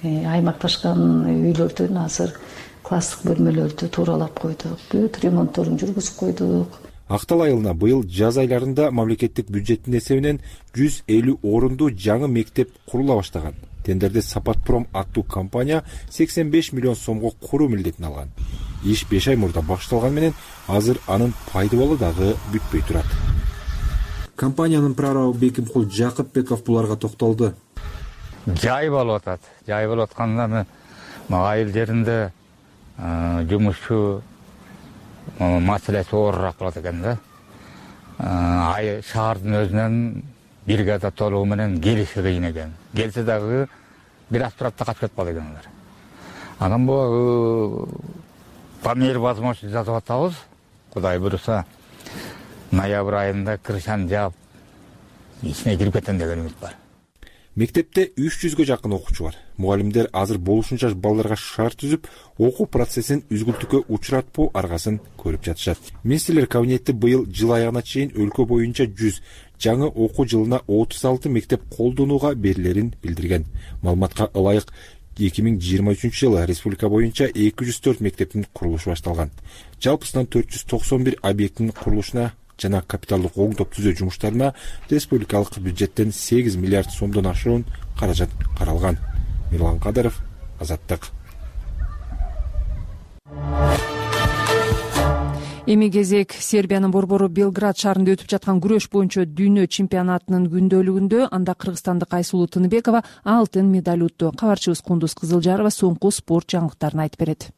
Аймакташкан үйлөрдөн азыр класстык бөлмөлөрдү тууралап койдук. Бүт ремонтторун жүргүзүп койдук. Актал айылына быйыл жаз айларында мамлекеттик бюджеттин эсебинен 150 орунду жаңы мектеп курула баштаган. Тендерде Сапатпром аттуу компания 85 миллион сомго куруу милдетин алган. Иш 5 ай мурда башталган менен азыр анын пайдубалы дагы бүтпөй турат. Компаниянын прорабы Бекимкул Жакыпбеков буларга токтолду. Жай болуп атат. Жай болуп атканда айыл жеринде жумушчу маселеси оорураак болот экен да. Шаардын өзүнөн бригада толугу менен келиши кыйын экен. Келсе дагы бир аз турат да качып кетип калат экен алар. Анан бул по мере возможности жазып атабыз. Кудай буюрса ноябрь айында крышаны жаап ичине кирип кетем деген үмүт бар. Мектепте 300гө жакын окуучу бар. Мугалимдер азыр болушунча балдарга шарт түзүп, окуу процессин үзгүлтүккө учуратпоо аргасын көрүп жатышат. Министрлер кабинети быйыл жыл аягына чейин өлкө боюнча 100, жаңы окуу жылына 36 мектеп колдонууга берилерин билдирген. Маалыматка ылайык 2023-жылы республика боюнча 204 мектептин курулушу башталган. Жалпысынан 491 объекттин курулушуна жана капиталдык оңдоп түзөө жумуштарына республикалык бюджеттен 8 миллиард сомдон ашуун каражат каралган. Мирлан Кадыров, Азаттык. Эми кезек Сербиянын борбору Белград шаарында өтүп жаткан күрөш боюнча дүйнө чемпионатынын күндөлүгүндө анда кыргызстандык Айсулуу Тыныбекова алтын медаль утту. Кабарчыбыз Кундуз Кызылжарова соңку спорт жаңылыктарын айтып берет.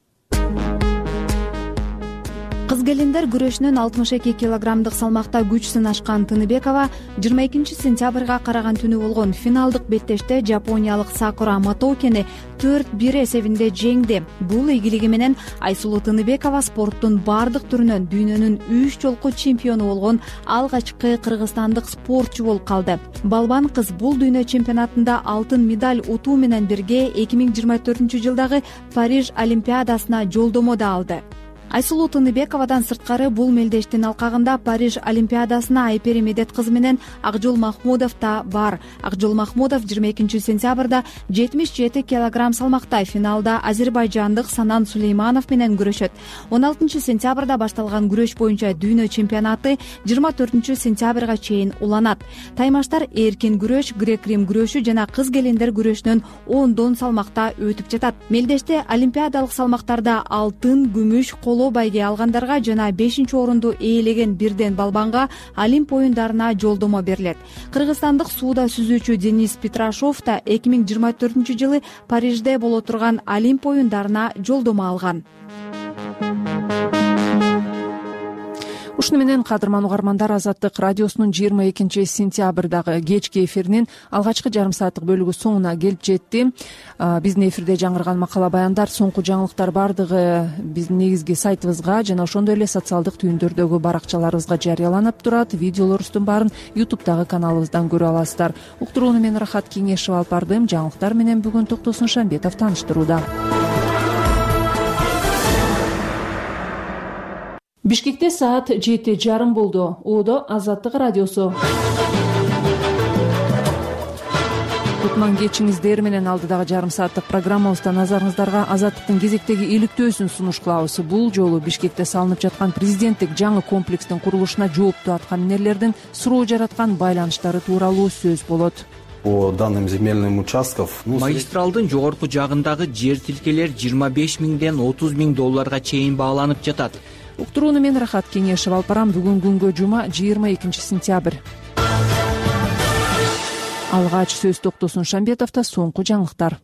Кыз келиндер күрөшүнөн 62 килограммдык салмакта күч сынашкан Тыныбекова 22 сентябрга караган түнү болгон финалдык беттеште жапониялык Сакура Матоукени 4-1 эсебинде жеңди. Бул ийгилиги менен Айсулуу Тыныбекова спорттун бардык түрүнөн дүйнөнүн 3 жолку чемпиону болгон алгачкы кыргызстандык спортчу болуп калды. Балбан кыз бул дүйнө чемпионатында алтын медаль утуу менен бирге 2024-жылдагы Париж олимпиадасына жолдомо да алды. Айсулуу Тыныбековадан сырткары бул мелдештин алкагында Париж олимпиадасына Айпери Медет кызы менен Акжол Махмудов да бар. Акжол Махмудов 22 сентябрда 77 килограмм салмакта финалда азербайжандык Санан Сулейманов менен күрөшөт. 16 сентябрда башталган күрөш боюнча дүйнө чемпионаты 24 сентябрга чейин уланат. Таймаштар эркин күрөш, грек-рим күрөшү жана кыз келиндер күрөшүнөн 10 салмакта өтүп жатат. Мелдеште олимпиадалык салмактарда алтын, күмүш, коло байге алгандарга жана 5-орунду ээлеген Бирден Балбанга Олимп оюндарына жолдомо берилет. Кыргызстандык сууда сүзүүчү Денис Петрашов да 2024-жылы Парижде боло турган Олимп оюндарына жолдомо алган. Ушуну менен кадырман угармандар, Азаттык радиосунун 22-сентябрдагы кечки эфиринин алгачкы жарым сааттык бөлүгү соңуна келип жетти. Биздин эфирде жаңырган макала баяндар, соңку жаңылыктар бардыгы биздин негизги сайтыбызга жана ошондой эле социалдык түйүндөрдөгү баракчаларыбызга жарыяланып турат. Видеолорубуздун баарын YouTube'дагы каналыбыздан көрө аласыздар. Уктурууну мен Рахат Кеңешев алып бардым. Жаңылыктар менен бүгүн Токтосун Шамбетов тааныштырууда. Бишкекте саат 7:30 болду. Оодо Азаттык радиосу. Кутман кечиңиздер менен алдыдагы жарым сааттык программабызда назарыңыздарга Азаттыктын кезектеги иликтөөсүн сунуш кылабыз. Бул жолу Бишкекте салынып жаткан президенттик жаңы комплекстин курулушуна жоопту аткаминерлердин суроо жараткан байланыштары тууралуу сөз болот. По данным земельным участков, магистралдын жогорку жагындагы жер тилкелер 25 миңден 30 миң долларга чейин бааланып жатат. Уктурууну мен Рахат Кеңешев алып барам. Бүгүн күнгө жума 22-сентябрь. Алгач сөз Токтосун Шамбетовдо соңку жаңылыктар.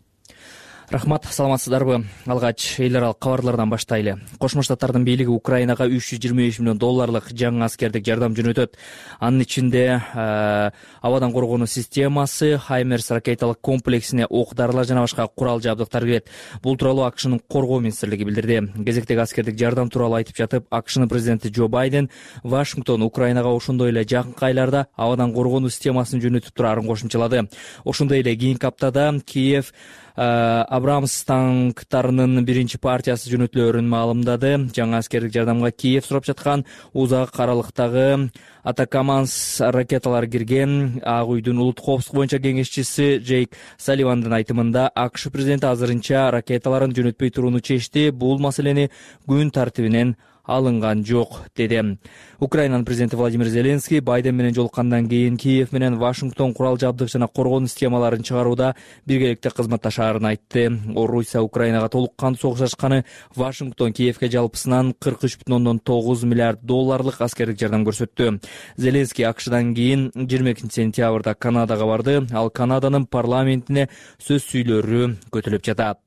Рахмат, саламатсыздарбы? Алгач эл аралык кабарлардан баштайлы. Кошмо Штаттардын бийлиги Украинага 325 миллион долларлык жаңы аскердик жардам жөнөтөт. Анын ичинде абадан коргонуу системасы, Хаймерс ракеталык комплексине ок-дарылар жана башка курал жабдыктар кирет. Бул тууралуу АКШнын коргоо министрлиги билдирди. Кезектеги аскердик жардам тууралуу айтып жатып, АКШнын президенти Джо Байден Вашингтон Украинага ошондой эле жакынкы айларда абадан коргонуу системасын жөнөтүп турарын кошумчалады. Ошондой эле кийинки аптада Киев Абрамс танктарынын биринчи партиясы жөнөтүлөөрүн маалымдады. Жаңы аскердик жардамга Киев сурап жаткан узак аралыктагы Атакаманс ракеталар кирген. Ак үйдүн улуттук коопсуздук боюнча кеңешчиси Джейк Салливандын айтымында АКШ президенти азырынча ракеталарын жөнөтпөй турууну чечти. Бул маселени күн тартибинен алынган жок, деди. Украинанын президенти Владимир Зеленский Байден менен жолуккандан кийин Киев менен Вашингтон курал жабдык жана коргонуу системаларын чыгарууда биргеликте кызматташаарын айтты. Орусия Украинага толук кантуу согуш ачканы Вашингтон Киевке жалпысынан 43,9 миллиард долларлык аскердик жардам көрсөттү. Зеленский АКШдан кийин 22-сентябрда Канадага барды. Ал Канаданын парламентине сөз сүйлөрү көтөлүп жатат.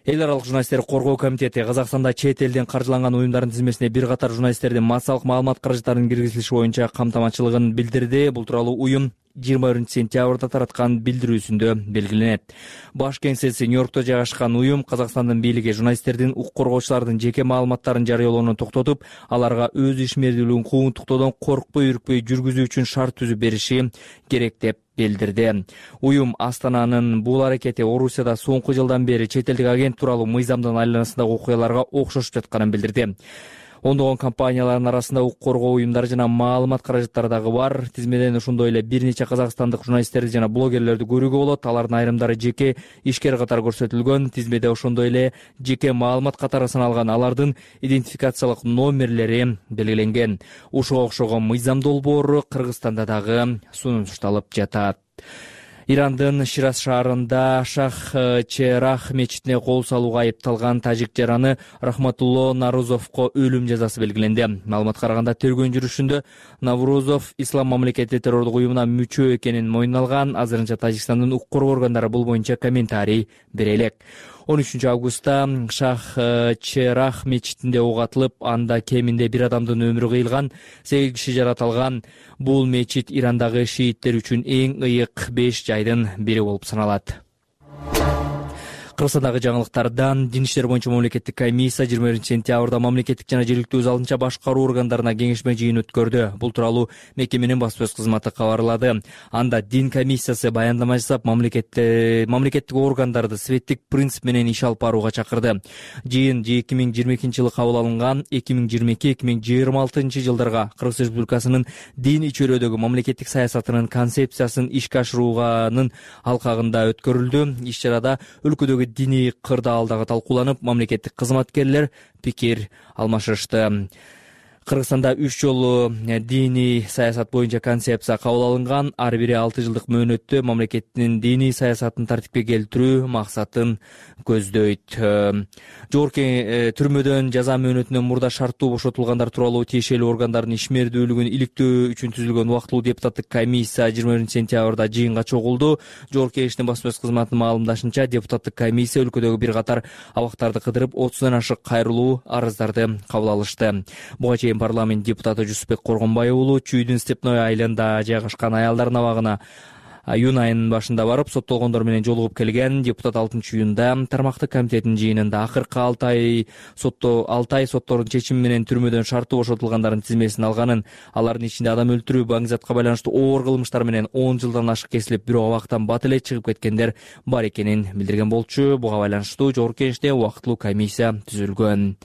Эл аралык журналисттерди коргоо комитети Казакстанда чет элден каржыланган уюмдардын тизмесине бир катар журналисттердин массалык маалымат каражаттарынын киргизилиши боюнча камтамачылыгын билдирди. Бул тууралуу уюм 21-сентябрда тараткан билдирүүсүндө белгиленет. Баш кеңсеси Нью-Йоркто жайгашкан уюм Казакстандын бийлиги журналисттердин, укук коргоочулардын жеке маалыматтарын жарыялоону токтотуп, аларга өз ишмердүүлүгүн куугунтуктоодон коркпой үркпөй жүргүзүү үчүн шарт түзүп бериши керек деп билдирди. Уюм Астананын бул аракети Орусияда соңку жылдан бери чет элдик агент тууралуу мыйзамдын айланасындагы окуяларга окшошуп жатканын билдирди. Ондогон компаниялардын арасында укук коргоо уюмдары жана маалымат каражаттары дагы бар. Тизмеден ошондой эле бир нече казакстандык журналисттерди жана блогерлерди көрүүгө болот. Алардын айрымдары жеке ишкер катары көрсөтүлгөн. Тизмеде ошондой эле жеке маалымат катары саналган алардын идентификациялык номерлери белгиленген. Ушуга окшогон мыйзам долбоору Кыргызстанда дагы сунушталып жатат. Ирандын Шираз шаарында Шах-Черах мечитине кол салууга айыпталган тажик жараны Рахматулло Нарузовго өлүм жазасы белгиленди. Маалыматка караганда тергөө жүрүшүндө Наврузов ислам мамлекети террордук уюмуна мүчө экенин мойнуна алган. Азырынча Тажикстандын укук коргоо органдары бул боюнча комментарий бере элек. 13-августта Шах-Черах мечитинде ок атылып, анда кеминде бир адамдын өмүрү кыйылган, 8 киши жаратылган. Бул мечит Ирандагы шииттер үчүн эң ыйык 5 жайдын бири болуп саналат. Кыргызстандагы жаңылыктардан Дин иштери боюнча мамлекеттик комиссия 21-сентябрда мамлекеттик жана жергиликтүү өз алдынча башкаруу органдарына кеңешме жыйын өткөрдү. Бул тууралуу мекеменин баспасөз кызматы кабарлады. Анда Дин комиссиясы баяндама жасап, мамлекеттик органдарды светтик принцип менен иш алып барууга чакырды. Жыйын 2022-жылы кабыл алынган 2022-2026 жылдарга Кыргыз Республикасынын дин ичөрөөдөгү мамлекеттик саясатынын концепциясын ишке ашырууганын алкагында өткөрүлдү. Иш-чарада өлкөдөгү диний кырдаал дагы талкууланып, мамлекеттик кызматкерлер пикир алмашышты. Кыргызстанда 3 жолу диний саясат боюнча концепция кабыл алынган. Ар бири 6 жылдык мөөнөттө мамлекеттин диний саясатын тартипке келтирүү максатын көздөйт. Жогорку түрмөдөн жаза мөөнөтүнөн мурда шарттуу бошотулгандар тууралуу тиешелүү органдардын ишмердүүлүгүн иликтөө үчүн түзүлгөн убактылуу депутаттык комиссия 21-сентябрда жыйынга чогулду. Жогорку Кеңештин басма сөз кызматынын маалымдашынча, депутаттык комиссия өлкөдөгү бир катар абактарды кыдырып 30дан ашык кайрылуу арыздарды кабыл алышты. Буга чейин парламент депутаты Жусупбек Коргонбай уулу Чүйдүн Степной айылында жайгашкан аялдардын абагына июнь айынын башында барып соттолгондор менен жолугуп келген. Депутат 6-июнда тармактык комитеттин жыйынында акыркы 6 ай соттордун чечими менен түрмөдөн шарттуу бошотулгандардын тизмесин алганын, алардын ичинде адам өлтүрүү, баңгизатка байланыштуу оор кылмыштар менен 10 жылдан ашык кесилип, бирок абактан бат эле чыгып кеткендер бар экенин билдирген болчу. Буга байланыштуу Жогорку Кеңеште убактылуу комиссия түзүлгөн.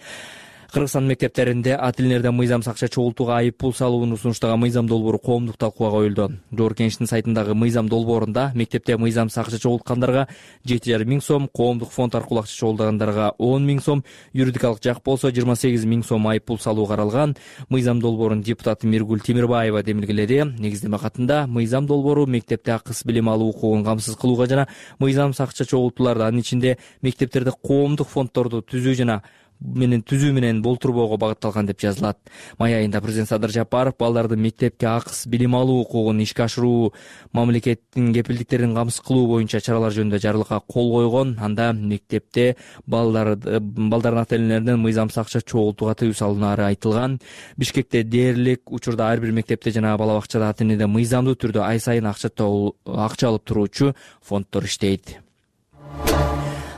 Кыргызстан мектептеринде ата тилинерден мыйзамсыз акча чогултууга айып пул салууну сунуштаган мыйзам долбоору коомдук талкууга коюлду. Жогорку Кеңештин сайтындагы мыйзам долбоорунда мектепте мыйзамсыз акча чогулткандарга 7,5 миң сом, коомдук фонд аркылуу акча чогултагандарга 10 миң сом, юридикалык жак болсо 28 миң сом айып пул салуу каралган. Мыйзам долбоорун депутат Миргүл Темирбаева демилгеледи. Негиздеме катында мыйзам долбоору мектепте акысыз билим алуу укугун камсыз кылууга жана мыйзамсыз акча чогултууларды, анын ичинде мектептерде коомдук фонддорду түзүү менен болтурбоого багытталган деп жазылат. Май айында президент Садыр Жапаров балдардын мектепке акысыз билим алуу укугун ишке ашыруу, мамлекеттин кепилдиктерин камсыз кылуу боюнча чаралар жөнүндө жарлыкка кол койгон. Анда мектепте балдардын ата тилинерден мыйзамсыз акча чогултууга тыюу салынары айтылган. Бишкекте дээрлик учурда ар бир мектепте жана бала бакчада ата тилинде мыйзамдуу түрдө ай сайын акча алып туруучу фонддор иштейт.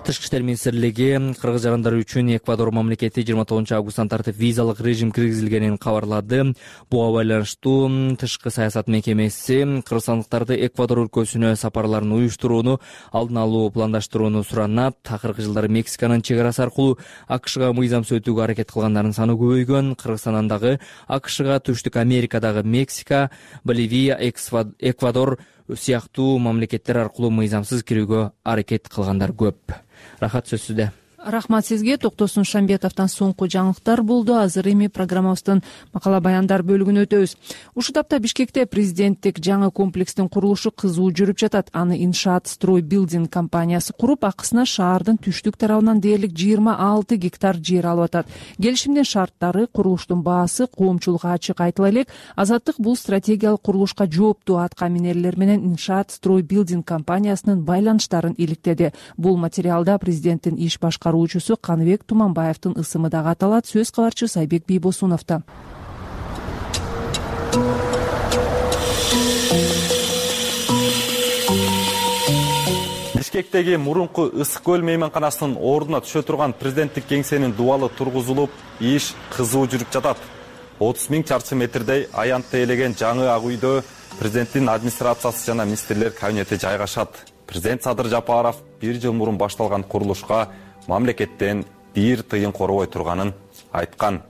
Тышкы иштер министрлиги кыргыз жарандары үчүн Эквадор мамлекети 29-августтан тартып визалык режим киргизилгенин кабарлады. Буга байланыштуу тышкы саясат мекемеси кыргызстандыктарды Эквадор өлкөсүнө сапарларын уюштурууну алдын алуу пландаштырууну суранат. Акыркы жылдары Мексиканын чек арасы аркылуу АКШга мыйзамсыз өтүүгө аракет кылгандардын саны көбөйгөн. Кыргызстандан дагы АКШга, Түштүк Америкадагы Мексика, Боливия, Эквадор сыяктуу мамлекеттер аркылуу мыйзамсыз кирүүгө аракет кылгандар көп. Рахат, сөз сизде. Рахмат сизге. Токтосун Шамбетовдон соңку жаңылыктар болду. Азыр эми программабыздын макала баяндар бөлүгүнө өтөбүз. Ушул тапта Бишкекте президенттик жаңы комплекстин курулушу кызуу жүрүп жатат. Аны Иншаат Строй Билдинг компаниясы куруп, акысына шаардын түштүк тарабынан дээрлик 26 гектар жер алып атат. Келишимдин шарттары, курулуштун баасы коомчулукка ачык айтыла элек. Азаттык бул стратегиялык курулушка жооптуу атка минерлер менен Иншаат Строй Билдинг компаниясынын байланыштарын иликтеди. Бул материалда президенттин иш башкаруучусу Каныбек Туманбаевдин ысымы дагы аталат. Сөз кабарчы Сайбек Бийбосуновдо. Бишкектеги мурунку Ысык көл мейманканасынын ордуна түшө турган президенттик кеңсенин дубалы тургузулуп, иш кызуу жүрүп жатат. 30 миң чарчы метрдей аянтты ээлеген жаңы ак үйдө президенттин администрациясы жана министрлер кабинети жайгашат. Президент Садыр Жапаров 1 жыл мурун башталган курулушка мамлекеттен 1 тыйын коробой турганын айткан.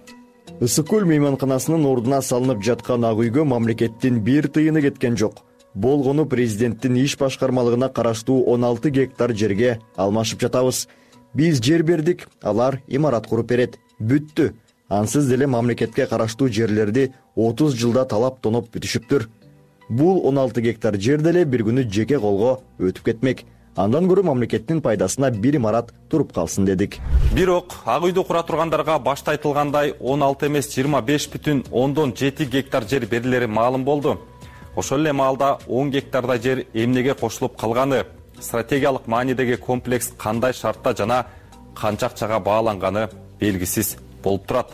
Ысык көл мейманканасынын ордуна салынып жаткан ак үйгө мамлекеттин 1 тыйыны кеткен жок. Болгону президенттин иш башкармалыгына караштуу 16 гектар жерге алмашып жатабыз. Биз жер бердик, алар имарат куруп берет. Бүттү. Ансыз деле мамлекетке караштуу жерлерди 30 жылда талап тоноп бүтүшүптүр. Бул 16 гектар жер деле бир күнү жеке колго өтүп кетмек. Андан көрө мамлекеттин пайдасына бир имарат туруп калсын дедик. Бирок ак үйдү кура тургандарга башта айтылгандай 16 эмес 25,7 гектар жер берилери маалым болду. Ошол эле маалда 10 гектарда жер эмнеге кошулуп калганы, стратегиялык маанидеги комплекс кандай шартта жана канча акчага бааланганы белгисиз болуп турат.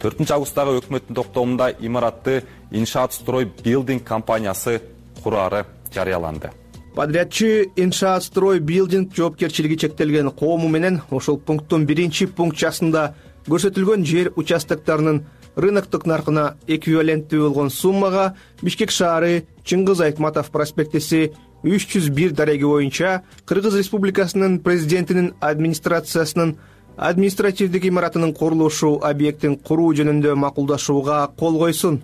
4-августтагы өкмөттүн токтомунда имаратты Иншаат Строй Билдинг компаниясы курары жарыяланды. Подрядчы Иншаат Строй Билдинг жоопкерчилиги чектелген коому менен ошол пункттун 1-пунктчасында көрсөтүлгөн жер участоктарынын рыноктук наркына эквиваленттүү болгон суммага Бишкек шаары Чыңгыз Айтматов проспектиси 301 дареги боюнча Кыргыз Республикасынын президентинин администрациясынын административдик имаратынын курулушу объектин куруу жөнүндө макулдашууга кол койсун.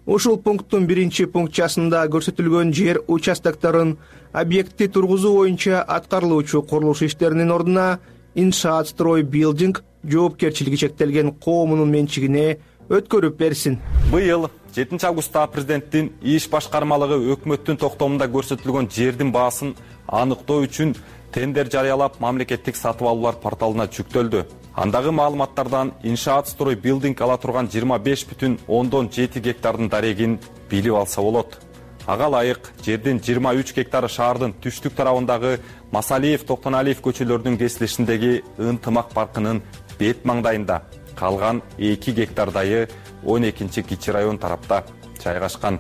Ушул пункттун 1-пунктчасында көрсөтүлгөн жер участокторун объектти тургузуу боюнча аткарылуучу курулуш иштеринин ордуна Иншаат Строй Билдинг жоопкерчилиги чектелген коомунун менчигине өткөрүп берсин. Быйыл 7 августта президенттин иш башкармалыгы өкмөттүн токтомунда көрсөтүлгөн жердин баасын аныктоо үчүн тендер жарыялап мамлекеттик сатып алуулар порталына жүктөлдү. Андагы маалыматтардан иншаат строй билдинг ала турган 25,7 гектардын дарегин билип алса болот. Ага ылайык жердин 23 гектары шаардын түштүк тарабындагы Масалиев, Токтоналиев көчөлөрүнүн кесилишиндеги ынтымак паркынын бет маңдайында, калган 2 гектардайы 12 кичи район тарапта жайгашкан.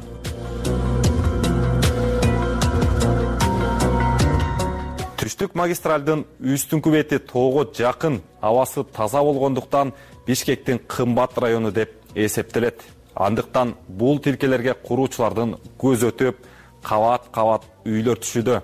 Түштүк магистралдын үстүңкү бети тоого жакын, абасы таза болгондуктан Бишкектин кымбат району деп эсептелет. Андыктан бул тилкелерге куруучулардын көз өтөп, кабат-кабат үйлөр түшүүдө.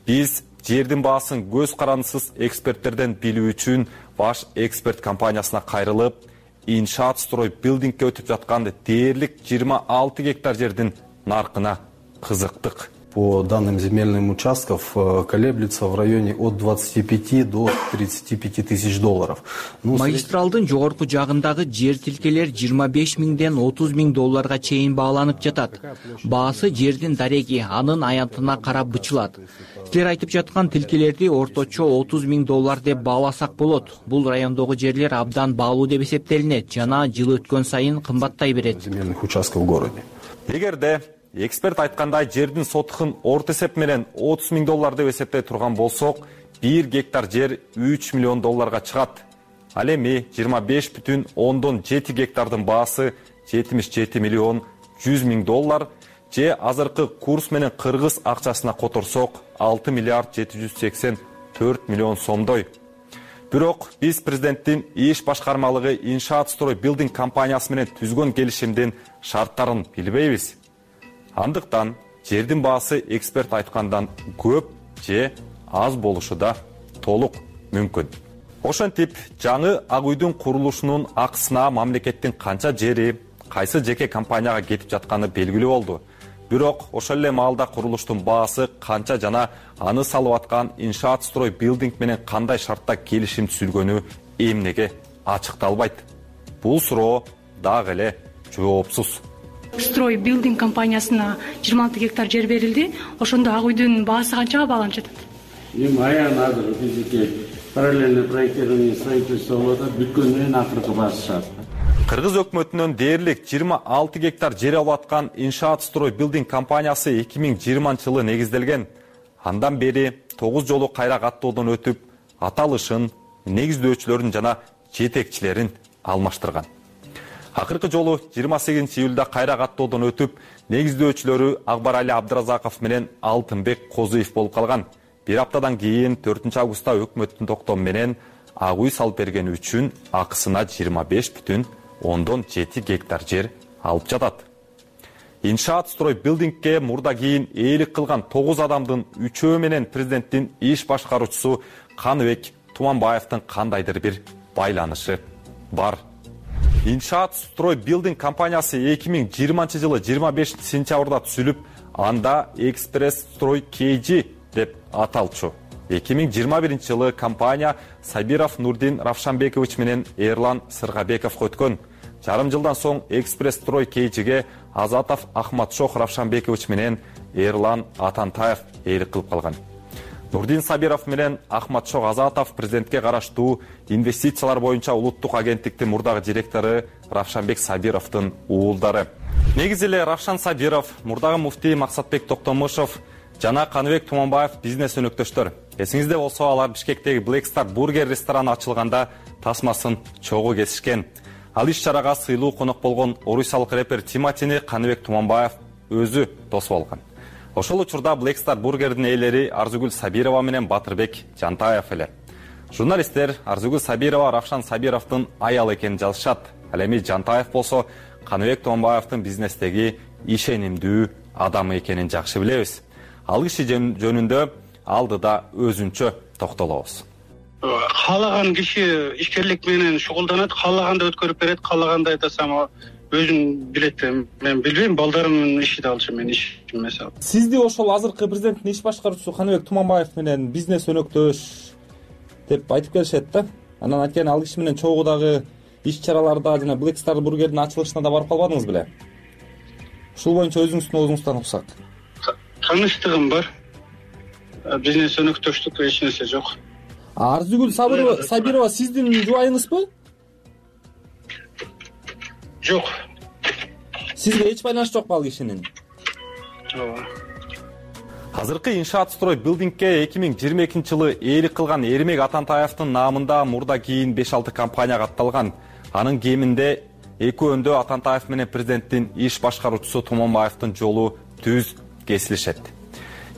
Биз жердин баасын көз карандысыз эксперттерден билүү үчүн баш эксперт компаниясына кайрылып, иншаат строй билдингке өтүп жаткан дээрлик 26 гектар жердин наркына кызыктык. По данным земельным участков колеблется в районе от 25 до 35 тысяч долларов. Магистралдын жогорку жагындагы жер тилкелер 25 миңден 30 миң долларга чейин бааланып жатат. Баасы жердин дареги, анын аянтына карап бычылат. Силер айтып жаткан тилкелерди орточо 30 миң доллар деп бааласак болот. Бул райондогу жерлер абдан баалуу деп эсептелинет жана жыл өткөн сайын кымбаттай берет. Земельных участков в городе. Эгерде эксперт айткандай жердин сотухун орто эсеп менен 30 миң доллар деп эсептей турган болсок, 1 гектар жер 3 миллион долларга чыгат. Ал эми 25,7 гектардын баасы 77 миллион 100 миң доллар, же азыркы курс менен кыргыз акчасына которсок 6 миллиард 784 миллион сомдой. Бирок биз президенттин иш башкармалыгы иншаат строй билдинг компаниясы менен түзгөн келишимдин шарттарын билбейбиз. Андыктан жердин баасы эксперт айткандан көп же аз болушу да толук мүмкүн. Ошентип, жаңы Ак үйдүн курулушунун акысына мамлекеттин канча жери, кайсы жеке компанияга кетип жатканы белгилүү болду. Бирок ошол эле маалда курулуштун баасы канча жана аны салып аткан иншаат строй билдинг менен кандай шартта келишим түзүлгөнү эмнеге ачыкталбайт. Бул суроо дагы эле жоопсуз. Строй билдинг компаниясына 26 гектар жер берилди. Ошондо Ак үйдүн баасы канчага бааланып жатат? Эми аян азыр бизге параллельный проектирование строительство болот, бүткөндөн акыркы баасы чыгат. Кыргыз өкмөтүнөн дээрлик 26 гектар жер алып аткан иншаат строй билдинг компаниясы 2020-жылы негизделген. Андан бери 9 жолу кайра каттоодон өтүп, аталышын, негиздөөчүлөрүн жана жетекчилерин алмаштырган. Акыркы жолу 28 июлда кайра каттоодон өтүп, негиздөөчүлөрү Акбарали Абдыразаков менен Алтынбек Козуев болуп калган. Бир аптадан кийин 4 августта өкмөттүн токтому менен Ак үй салып бергени үчүн акысына 25,7 гектар жер алып жатат. Иншаат строй билдингке мурда кийин ээлик кылган 9 адамдын 3-өө менен президенттин иш башкаруучусу Каныбек Туманбаевдин кандайдыр бир байланышы бар. Иншаат строй билдинг компаниясы 2020-жылы 25 сентябрда түзүлүп, анда Экспресс строй KG деп аталчу. 2021-жылы компания Сабиров Нурдин Равшанбекович менен Эрлан Сыргабековго өткөн. Жарым жылдан соң Экспресс строй KGге Азатов Ахматшох Равшанбекович менен Эрлан Атантаев ээлик кылып калган. Нурдин Сабиров менен Ахматшох Азатов президентке караштуу инвестициялар боюнча улуттук агенттиктин мурдагы директору Равшанбек Сабировдун уулдары. Негизи эле Равшан Сабиров, мурдагы муфтий Максатбек Токтомушов жана Каныбек Туманбаев бизнес өнөктөштөр. Эсиңизде болсо, алар Бишкектеги Black Star бургер рестораны ачылганда тасмасын чогуу кесишкен. Ал иш-чарага сыйлуу конок болгон орусиялык рэпер Тиматини Каныбек Туманбаев өзү тосуп алган. Ошол учурда Black Star бургердин ээлери Арзугүл Сабирова менен Батырбек Жантаев эле. Журналисттер Арзугүл Сабирова Равшан Сабировдун аялы экенин жазышат. Ал эми Жантаев болсо Каныбек Туманбаевдин бизнестеги ишенимдүү адамы экенин жакшы билебиз. Ал киши жөнүндө алдыда өзүнчө токтолобуз. Каалаган киши ишкерлик менен шугулданат, каалаганда өткөрүп берет, каалаганда айтасам өзүм билет. Мен билбейм, балдарымдын иши да алчу, мен ишим эмес. Сизди ошол азыркы президенттин иш башкаруучусу Каныбек Туманбаев менен бизнес өнөктөш деп айтып келишет да. Анан анткени ал киши менен чогуу дагы иш чараларда жана Black Star бургердин ачылышына да барып калбадыңыз беле? Ушул боюнча өзүңүздүн оозуңузду таныксак. Таныштыгым бар. Бизнес өнөктөштүк эч нерсе жок. Арзыгүл Сабирова сиздин жубайыңызбы? Жок. Сизге эч байланышы жокпу ал кишинин? Ооба. Азыркы иншаат строй билдингке 2022-жылы ээлик кылган Эрмек Атантаевдин наамында мурда кийин 5-6 компания катталган. Анын кеминде экөөндө Атантаев менен президенттин иш башкаруучусу Туманбаевдин жолу түз кесилишет.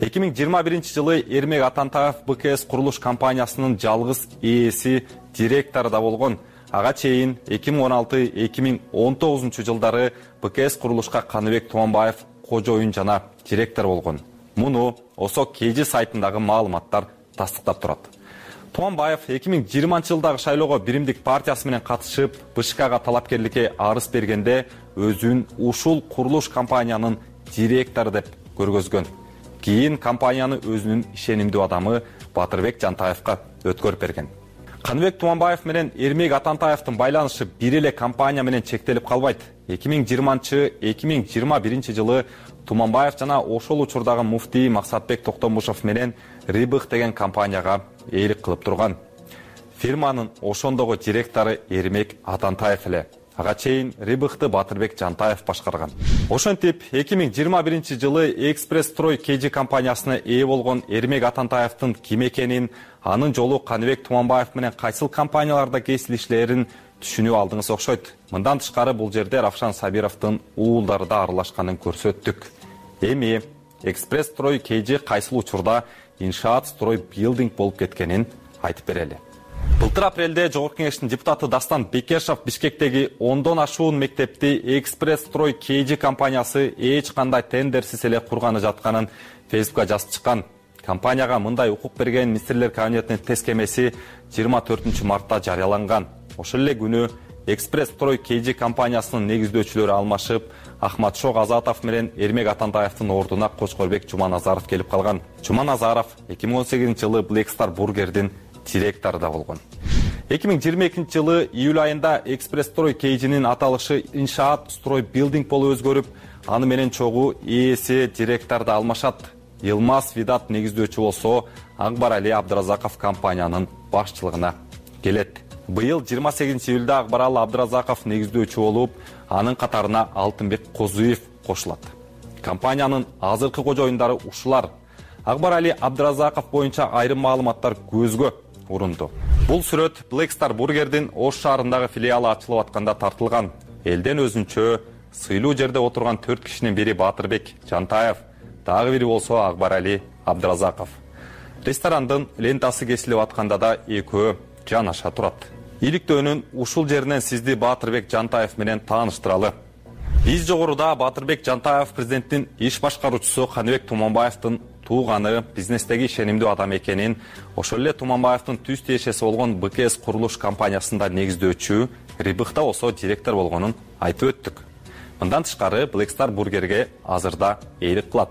2021-жылы Эрмек Атантаев БКС курулуш компаниясынын жалгыз ээси, директору да болгон. Ага чейин 2016-2019 жылдары БКС курулушка Каныбек Туманбаев кожоюн жана директор болгон. Муну ОСО КЖ сайтындагы маалыматтар тастыктап турат. Туманбаев 2020-жылдагы шайлоого Биримдик партиясы менен катышып, БШКга талапкерликке арыз бергенде өзүн ушул курулуш компаниянын директору деп көргөзгөн. Кийин компанияны өзүнүн ишенимдүү адамы Батырбек Жантаевга өткөрүп берген. Каныбек Туманбаев менен Эрмек Атантаевдин байланышы бир эле компания менен чектелип калбайт. 2020-2021 жылы Туманбаев жана ошол учурдагы муфтий Максатбек Токтомушев менен Рибых деген компанияга ээлик кылып турган. Фирманын ошондогу директору Эрмек Атантаев эле. Ага чейин Рибыхты Батырбек Жантаев башкарган. Ошентип 2021 жылы Экспресс Строй КЖ компаниясына ээ болгон Эрмек Атантаевдин ким экенин, анын жолу Каныбек Туманбаев менен кайсыл компанияларда кесилишлерин түшүнүп алдыңыз окшойт. Мындан тышкары бул жерде Равшан Сабировдун уулдары да аралашканын көрсөттүк. Эми Экспресс Строй КЖ кайсыл учурда иншаат строй билдинг болуп кеткенин айтып берели. Былтыр апрелде Жогорку Кеңештин депутаты Дастан Бекешов Бишкектеги 10дон ашуун мектепти Экспресс Строй КЖ компаниясы эч кандай тендерсиз эле курганы жатканын Фейсбукка жазып чыккан. Компанияга мындай укук берген министрлер кабинетинин тескемеси 24 мартта жарыяланган. Ошол эле күнү Экспресс Строй КЖ компаниясынын негиздөөчүлөрү алмашып, Ахматшок Азатов менен Эрмек Атантаевдин ордуна Кочкорбек Жуманазаров келип калган. Жуманазаров 2018 жылы Black Star бургердин директору да болгон. 2022 жылы июль айында Экспресс Строй КЖнин аталышы иншаат строй билдинг болуп өзгөрүп, аны менен чогуу ээси директор да алмашат. Йылмаз Видат негиздөөчү болсо, Акбар Али Абдыразаков компаниянын башчылыгына келет. Быйыл 28 июлда Акбар Али Абдыразаков негиздөөчү болуп, анын катарына Алтынбек Козуев кошулат. Компаниянын азыркы кожоюндары ушулар. Акбар Али Абдыразаков боюнча айрым маалыматтар көзгө урунду. Бул сүрөт Black Star бургердин Ош шаарындагы филиалы ачылып атканда тартылган. Элден өзүнчө сыйлуу жерде отурган 4 кишинин бири Батырбек Жантаев, дагы бири болсо Акбар Али Абдыразаков. Ресторандын лентасы кесилип атканда да экөө жанаша турат. Иликтөөнүн ушул жеринен сизди Батырбек Жантаев менен тааныштыралы. Биз жогоруда Батырбек Жантаев президенттин иш башкаруучусу Каныбек Туманбаевдин тууганы, бизнестеги ишенимдүү адам экенин, ошол эле Туманбаевдин түз тиешеси болгон БКС курулуш компаниясында негиздөөчү, Рибыхта болсо директор болгонун айтып өттүк. Мындан тышкары Black Star бургерге азырда ээлик кылат.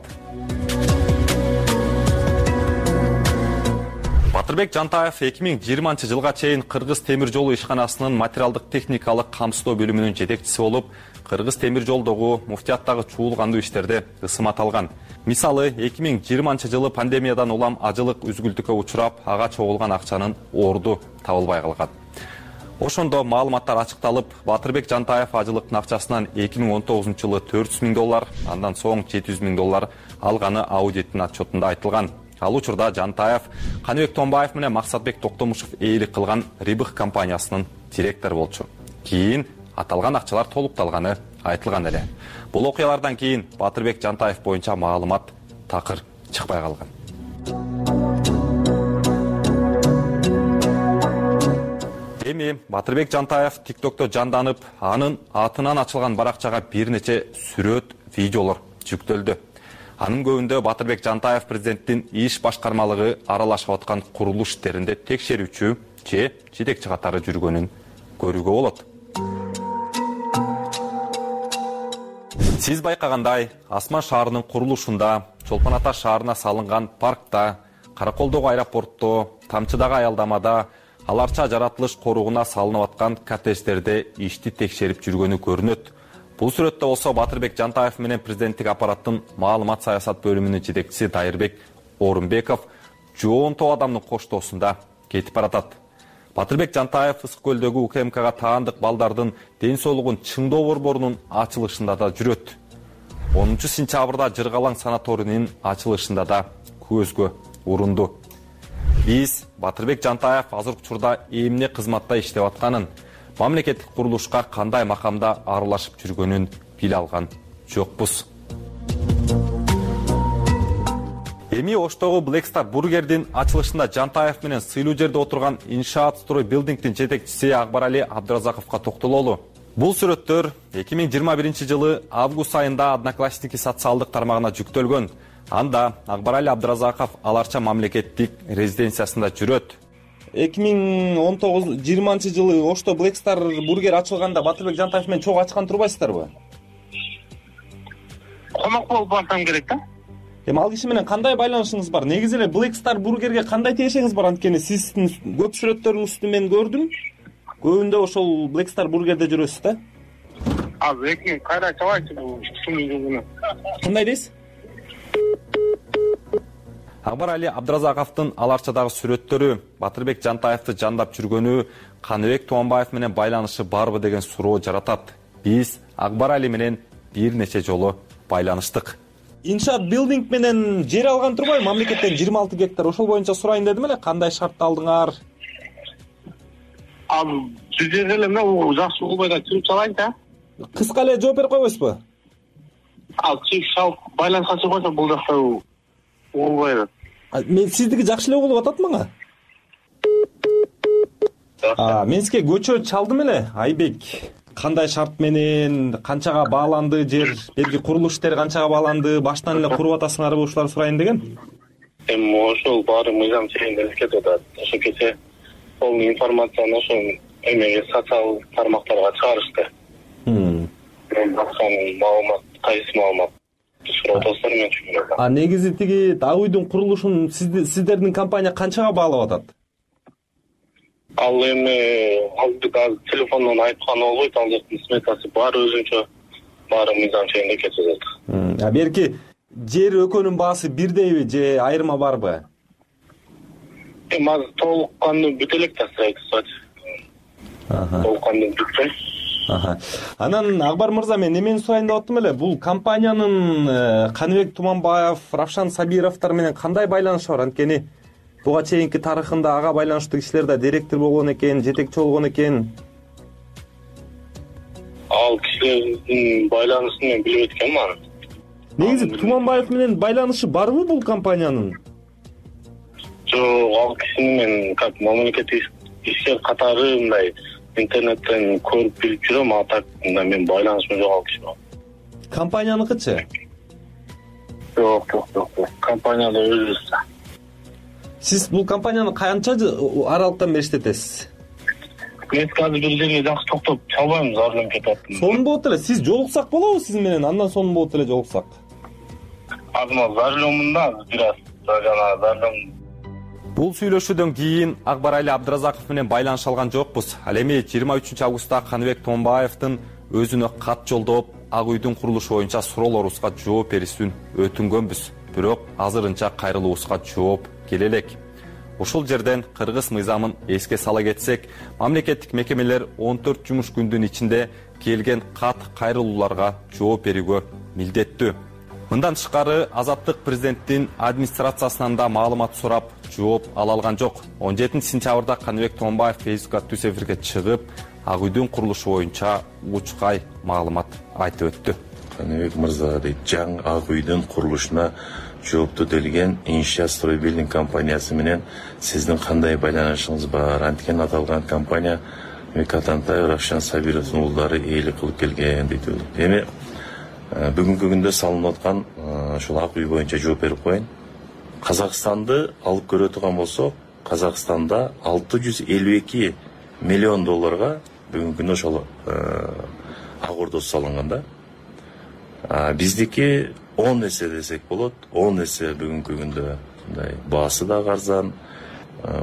Батырбек Жантаев 2020 жылга чейин Кыргыз темир жолу ишканасынын материалдык техникалык камсыздоо бөлүмүнүн жетекчиси болуп, Кыргыз темир жолдогу муфтияттагы чуулгандуу иштерде ысымат алган. Мисалы, 2020 жылы пандемиядан улам ажылык үзгүлтүккө учурап, ага чогулган акчанын орду табылбай калган. Ошондо маалыматтар ачыкталып, Батырбек Жантаев ажылыктын акчасынан 2019 жылы $400,000, андан соң $700,000 алганы аудиттин отчетунда айтылган. Ал учурда Жантаев Каныбек Туманбаев менен Максатбек Токтомушев ээлик кылган Рибых компаниясынын директору болчу. Кийин аталган акчалар толукталганы айтылган эле. Бул окуялардан кийин Батырбек Жантаев боюнча маалымат такыр чыкпай калган. Эми Батырбек Жантаев TikTok'то жанданып, анын атынан ачылган баракчага бир нече сүрөт, видеолор жүктөлдү. Анын көбүндө Батырбек Жантаев президенттин иш башкармалыгы аралашып аткан курулуш иштеринде текшерүүчү же жетекчи катары жүргөнүн көрүүгө болот. Сиз байкагандай, Асман шаарынын курулушунда, Чолпон Ата шаарына салынган паркта, Караколдогу аэропортто, Тамчыдагы аялдамада, аларча жаратылыш коругуна салынып аткан коттедждерде ишти текшерип жүргөнү көрүнөт. Бул сүрөттө болсо Батырбек Жантаев менен президенттик аппараттын маалымат саясат бөлүмүнүн жетекчиси Дайырбек Орунбеков жоон топ адамдын коштоосунда кетип баратат. Батырбек Жантаев Ысык көлдөгү УКМКга таандык балдардын ден соолугун чыңдоо борборунун ачылышында да жүрөт. 10 сентябрда Жыргалаң санаторийинин ачылышында да көзгө урунду. Биз Батырбек Жантаев азыркы учурда эмне кызматта иштеп атканын, мамлекеттик курулушка кандай макамда аралашып жүргөнүн биле алган жокпуз. Эми Оштогу Black Star бургердин ачылышында Жантаев менен сыйлуу жерде отурган Иншаат Строй Билдингдин жетекчиси Акбарали Абдыразаковго токтололу. Бул сүрөттөр 2021 жылы август айында Одноклассники социалдык тармагына жүктөлгөн. Анда Акбарали Абдыразаков аларча мамлекеттик резиденциясында жүрөт. 2019-20 жылы Ошто Black Star бургер ачылганда Батырбек Жантаев менен чогуу ачкан турбайсыздарбы? Конок болуп барсам керек да. Эми ал киши менен кандай байланышыңыз бар? Негизи эле Black Star бургерге кандай тиешиңиз бар? Анткени сиздин көп сүрөттөрүңүздү мен көрдүм. Көбүндө ошол Black Star бургерде жүрөсүз да? Эки кайра чабайчы бул кишини. Кандай дейсиз? Акбарали Абдыразаковдун аларчадагы сүрөттөрү Батырбек Жантаевди жандап жүргөнү Каныбек Туанбаев менен байланышы барбы деген суроо жаратат. Биз Акбарали менен бир нече жолу байланыштык. Иншаат Билдинг менен жер алган турбайбы? Мамлекеттен 26 гектар. Ошол боюнча сурайын дедим эле, кандай шартты алдыңар? Бул жерде эле мен жакшы угубай да чыгып салайын да. Кыска эле жооп берип койбойсузбу? Чыгып салып байланышка чыгып койсо бул жакта угубай да. Мен сиздики жакшы эле угулуп атат мага. Мен сизге көчө чалдым эле, Айбек. Кандай шарт менен, канчага бааланды жер, берги курулуш иштери канчага бааланды, баштан эле куруп атасыңарбы, ушуларды сурайын деген. Эми ошол баары мыйзам чегинде кетип атат. Ошо кече ол информацияны ошо эмеге социал тармактарга чыгарышты. Мен баксам маалымат, кайсы маалымат сурап атасыздар, мен түшүнбөйм. Негизи тиги ак үйдүн курулушун сиздердин компания канчага баалап атат? Ал эми телефондон айтканы болбойт, ал жактын сметасы бар өзүнчө, баары мыйзам чегинде кетип атат. Берки жер экөөнүн баасы бирдейби же айырма барбы? Эми азыр толук кандуу бүтө элек да строительство. Толук кандуу бүтсө. Анан Акбар мырза, мен эмени сурайын деп аттым эле. Бул компаниянын Каныбек Туманбаев, Равшан Сабировдор менен кандай байланышы бар? Анткени буга чейинки тарыхында ага байланыштуу кишилер да директор болгон экен, жетекчи болгон экен. Ал кишилердин байланышын мен билбейт экенмин аны. Негизи Туманбаев менен байланышы барбы бул компаниянын? Жок, ал кишини мен как мамлекеттик ишкер катары мындай интернеттен көрүп билип жүрөм, а так мен байланышым жок ал киши менен. Компанияныкычы? Жок. Компанияда өзүбүз. Сиз бул компанияны канча аралыктан бери иштетесиз? Мен азыр бир жерге жакшы токтоп чалбайм, зарылып кетип аттым. Сонун болот эле. Сиз жолуксак болобу сиз менен? Андан сонун болот эле жолуксак. Азыр зарылымын да, бир аз жана зарылым. Бул сүйлөшүүдөн кийин Акбарали Абдыразаков менен байланыша алган жокпуз. Ал эми 23 августта Каныбек Томбаевдин өзүнө кат жолдоп, ак үйдүн курулушу боюнча суроолорубузга жооп берүүсүн өтүнгөнбүз. Бирок азырынча кайрылуубузга жооп келе элек. Ушул жерден кыргыз мыйзамын эске сала кетсек, мамлекеттик мекемелер 14 жумуш күндүн ичинде келген кат кайрылууларга жооп берүүгө милдеттүү. Мындан тышкары Азаттык президенттин администрациясынан да маалымат сурап, жооп ала алган жок. 17 сентябрда Каныбек Томбаев Фейсбукка түз эфирге чыгып, ак үйдүн курулушу боюнча учкай маалымат айтып өттү. Каныбек мырза дейт, жаңы ак үйдүн курулушуна жоопту делген Иншаат Строй Билдинг компаниясы менен сиздин кандай байланышыңыз бар? Анткени аталган компания Атантаев, Равшан Сабировдун уулдары ээлик кылып келген дейт. Эми бүгүнкү күндө салынып аткан ушул ак үй боюнча жооп берип коеюн. Казакстанды алып көрө турган болсок, Казакстанда 652 миллион долларга бүгүнкү күндө ошол ак ордосу салынган да. Биздики 10 эсе десек болот, 10 эсе бүгүнкү күндө мындай баасы да арзан.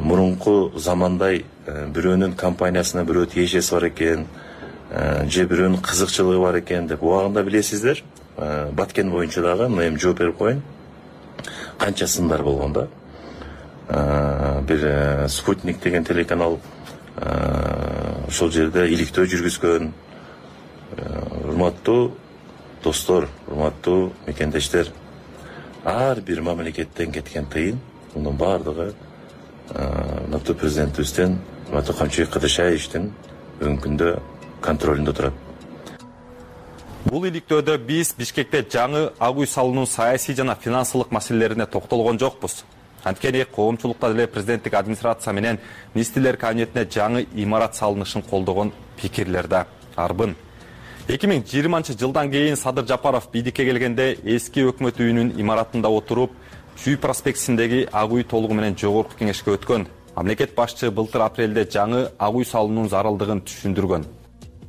Мурунку замандай бирөөнүн компаниясына бирөө тиешеси бар экен же бирөөнүн кызыкчылыгы бар экен деп убагында билесиздер. Баткен боюнча дагы эми жооп берип коеюн. Канча сындар болгон да. Бир Спутник деген телеканал ошол жерде иликтөө жүргүзгөн. Урматтуу достор, урматтуу мекендештер, ар бир мамлекеттен кеткен тыйын, мунун баардыгы урматтуу президентибизден, урматтуу Камчыбек Кадыршаевичтин бүгүнкү күндө контролунда турат. Бул иликтөөдө биз Бишкекте жаңы ак үй салуунун саясий жана финансылык маселелерине токтолгон жокпуз. Анткени коомчулукта деле президенттик администрация менен министрлер кабинетине жаңы имарат салынышын колдогон пикирлер да арбын. 2020 жылдан кийин Садыр Жапаров бийликке келгенде эски өкмөт үйүнүн имаратында отуруп, Чүй проспектисиндеги ак үй толугу менен жогорку кеңешке өткөн. Мамлекет башчы былтыр апрелде жаңы ак үй салуунун зарылдыгын түшүндүргөн.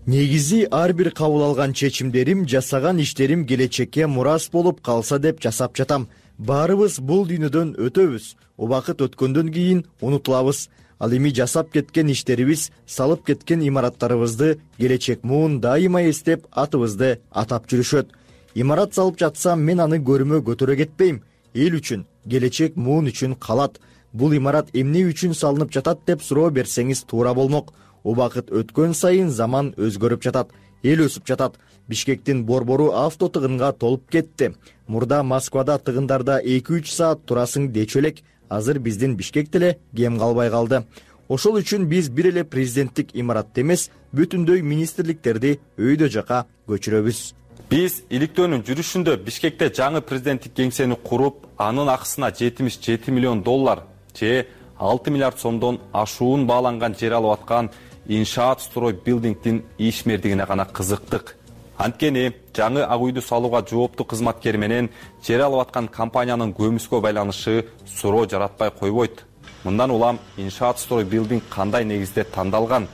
Негизи ар бир кабыл алган чечимдерим, жасаган иштерим келечекке мурас болуп калса деп жасап жатам. Баарыбыз бул дүйнөдөн өтөбүз. Убакыт өткөндөн кийин унутулабыз. Ал эми жасап кеткен иштерибиз, салып кеткен имараттарыбызды келечек муун дайыма эстеп атыбызды атап жүрүшөт. Имарат салып жатсам мен аны көрүмө көтөрө кетпейм. Эл үчүн, келечек муун үчүн калат. Бул имарат эмне үчүн салынып жатат деп суроо берсеңиз туура болмок. Убакыт өткөн сайын заман өзгөрүп жатат, эл өсүп жатат. Бишкектин борбору авто тыгынга толуп кетти. Мурда Москвада тыгындарда 2-3 саат турасың дечү элек. Азыр биздин Бишкек деле кем калбай калды. Ошол үчүн биз бир эле президенттик имаратты эмес, бүтүндөй министрликтерди өйдө жака көчүрөбүз. Биз иликтөөнүн жүрүшүндө Бишкекте жаңы президенттик кеңсени куруп, анын акысына 77 миллион доллар же 6 миллиард сомдон ашуун бааланган жер алып аткан Иншаат Строй Билдингдин ишмердигине гана кызыктык. Анткени жаңы ак үйдү салууга жооптуу кызматкер менен жер алып аткан компаниянын көмүскө байланышы суроо жаратпай койбойт. Мындан улам Иншаат Строй Билдинг кандай негизде тандалган?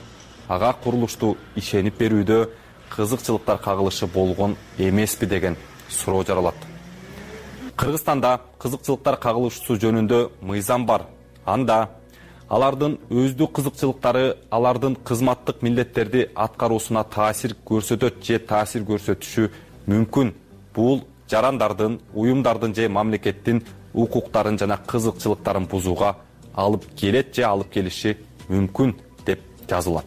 Ага курулушту ишенип берүүдө кызыкчылыктар кагылышы болгон эмеспи деген суроо жаралат. Кыргызстанда кызыкчылыктар кагылышуу жөнүндө мыйзам бар. Анда алардын өздүк кызыкчылыктары алардын кызматтык милдеттерди аткаруусуна таасир көрсөтөт же таасир көрсөтүшү мүмкүн. Бул жарандардын, уюмдардын же мамлекеттин укуктарын жана кызыкчылыктарын бузууга алып келет же алып келиши мүмкүн деп жазылат.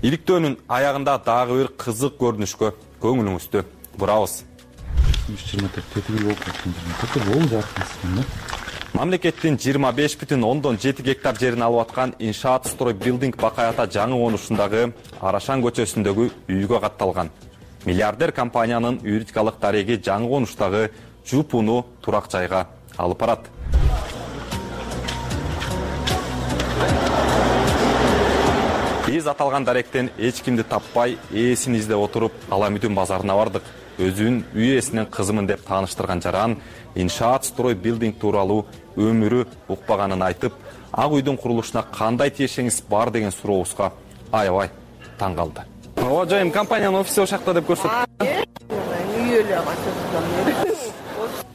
Иликтөөнүн аягында дагы бир кызык көрүнүшкө көңүлүңүздү бурабыз. Мамлекеттин 25,7 гектар жерин алып аткан Иншаат Строй Билдинг Бакай ата жаңы конушундагы Арашан көчөсүндөгү үйгө катталган. Миллиардер компаниянын юридикалык дареги жаңы конуштагы жупуну турак жайга алып барат. Биз аталган даректен эч кимди таппай, ээсин издеп отуруп, Аламүдүн базарына бардык. Өзүн үй ээсинин кызымын деп тааныштырган жаран Иншаат Строй Билдинг тууралуу өмүрү укпаганын айтып, ак үйдүн курулушуна кандай тиешеңиз бар деген сурообузга аябай таң калды. Ооба жайым, компаниянын офиси ошакта деп көрсөттү.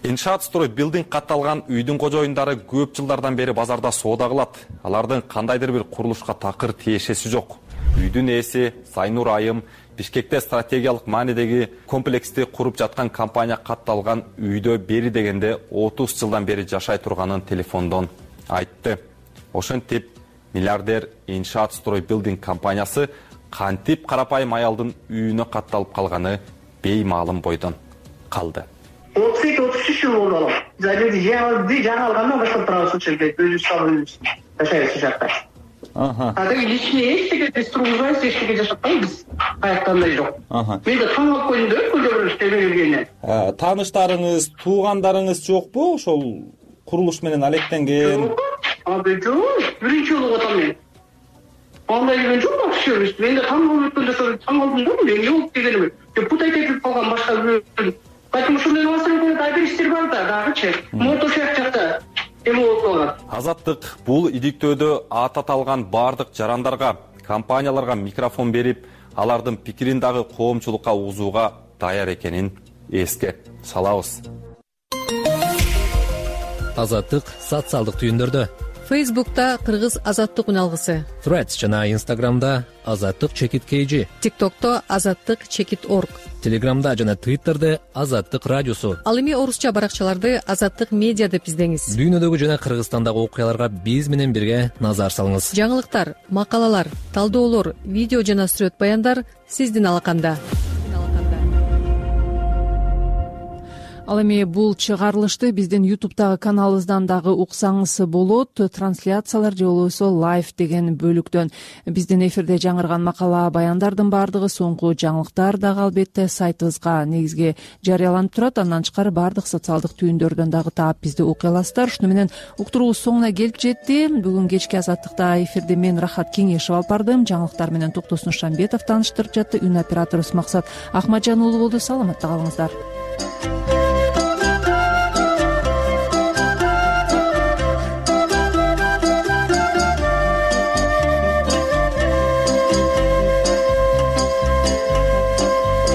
Иншаат Строй Билдинг катталган үйдүн кожоюндары көп жылдардан бери базарда соода кылат. Алардын кандайдыр бир курулушка такыр тиешеси жок. Үйдүн ээси Сайнур Айым Бишкекте стратегиялык маанидеги комплексти куруп жаткан компания катталган үйдө бери дегенде 30 жылдан бери жашай турганын телефондон айтты. Ошентип, миллиардер Иншаат Строй Билдинг компаниясы кантип карапайым аялдын үйүнө катталып калганы беймаалым бойдон калды. 32-33 жыл болду. Жаңы алгандан баштап турабыз ошол жерде, өзүбүз салып жашайбыз ошол жакта. Личный эчтеке биз тургузбайбыз, эчтеке жашатпайбыз. Аяктандай жок. Мен да таң калып койдум да, көзө көрүштө келгенде. Тааныштарыңыз, туугандарыңыз жокпу? Ошол курулуш менен алектенген. Жок, биринчи жолу атам мен. Андай деген жок вообще. Мен да таң калып өткөндө таң калдым да, мен жок дегеним. Путайт этип калган башка бирөө. Поэтому ушундай маселе да бир иштер бар да, дагычы. Мото жакта. Азаттык бул иликтөөдө аты аталган бардык жарандарга, компанияларга микрофон берип, алардын пикирин дагы коомчулукка угузууга даяр экенин эске салабыз. Азаттык социалдык түйүндөрдө Фейсбукта Кыргыз азаттык үн алгысы, Threads жана Instagramда азаттык чекит KG, TikTokто азаттык чекит org, Телеграмда жана Twitterде азаттык радиосу. Ал эми орусча баракчаларды азаттык медиа деп издеңиз. Дүйнөдөгү жана Кыргызстандагы окуяларга биз менен бирге назар салыңыз. Жаңылыктар, макалалар, талдоолор, видео жана сүрөт баяндар сиздин алаканда. Ал эми бул чыгарылышты биздин YouTube'дагы каналыбыздан дагы уксаңыз болот. Трансляциялар же болбосо лайв деген бөлүктөн. Биздин эфирде жаңырган макала баяндардын баардыгы соңку жаңылыктар дагы албетте сайтыбызга негизги жарыяланып турат. Андан тышкары баардык социалдык түйүндөрдөн дагы таап бизди окуй аласыздар. Ушуну менен уктуруубуз соңуна келип жетти. Бүгүн кечки азаттыкта эфирде мен Рахат Кеңешев алып бардым. Жаңылыктар менен Токтосун Шамбетов тааныштырып жатты. Үн операторубуз Максат Ахмаджан уулу болду. Саламатта калыңыздар.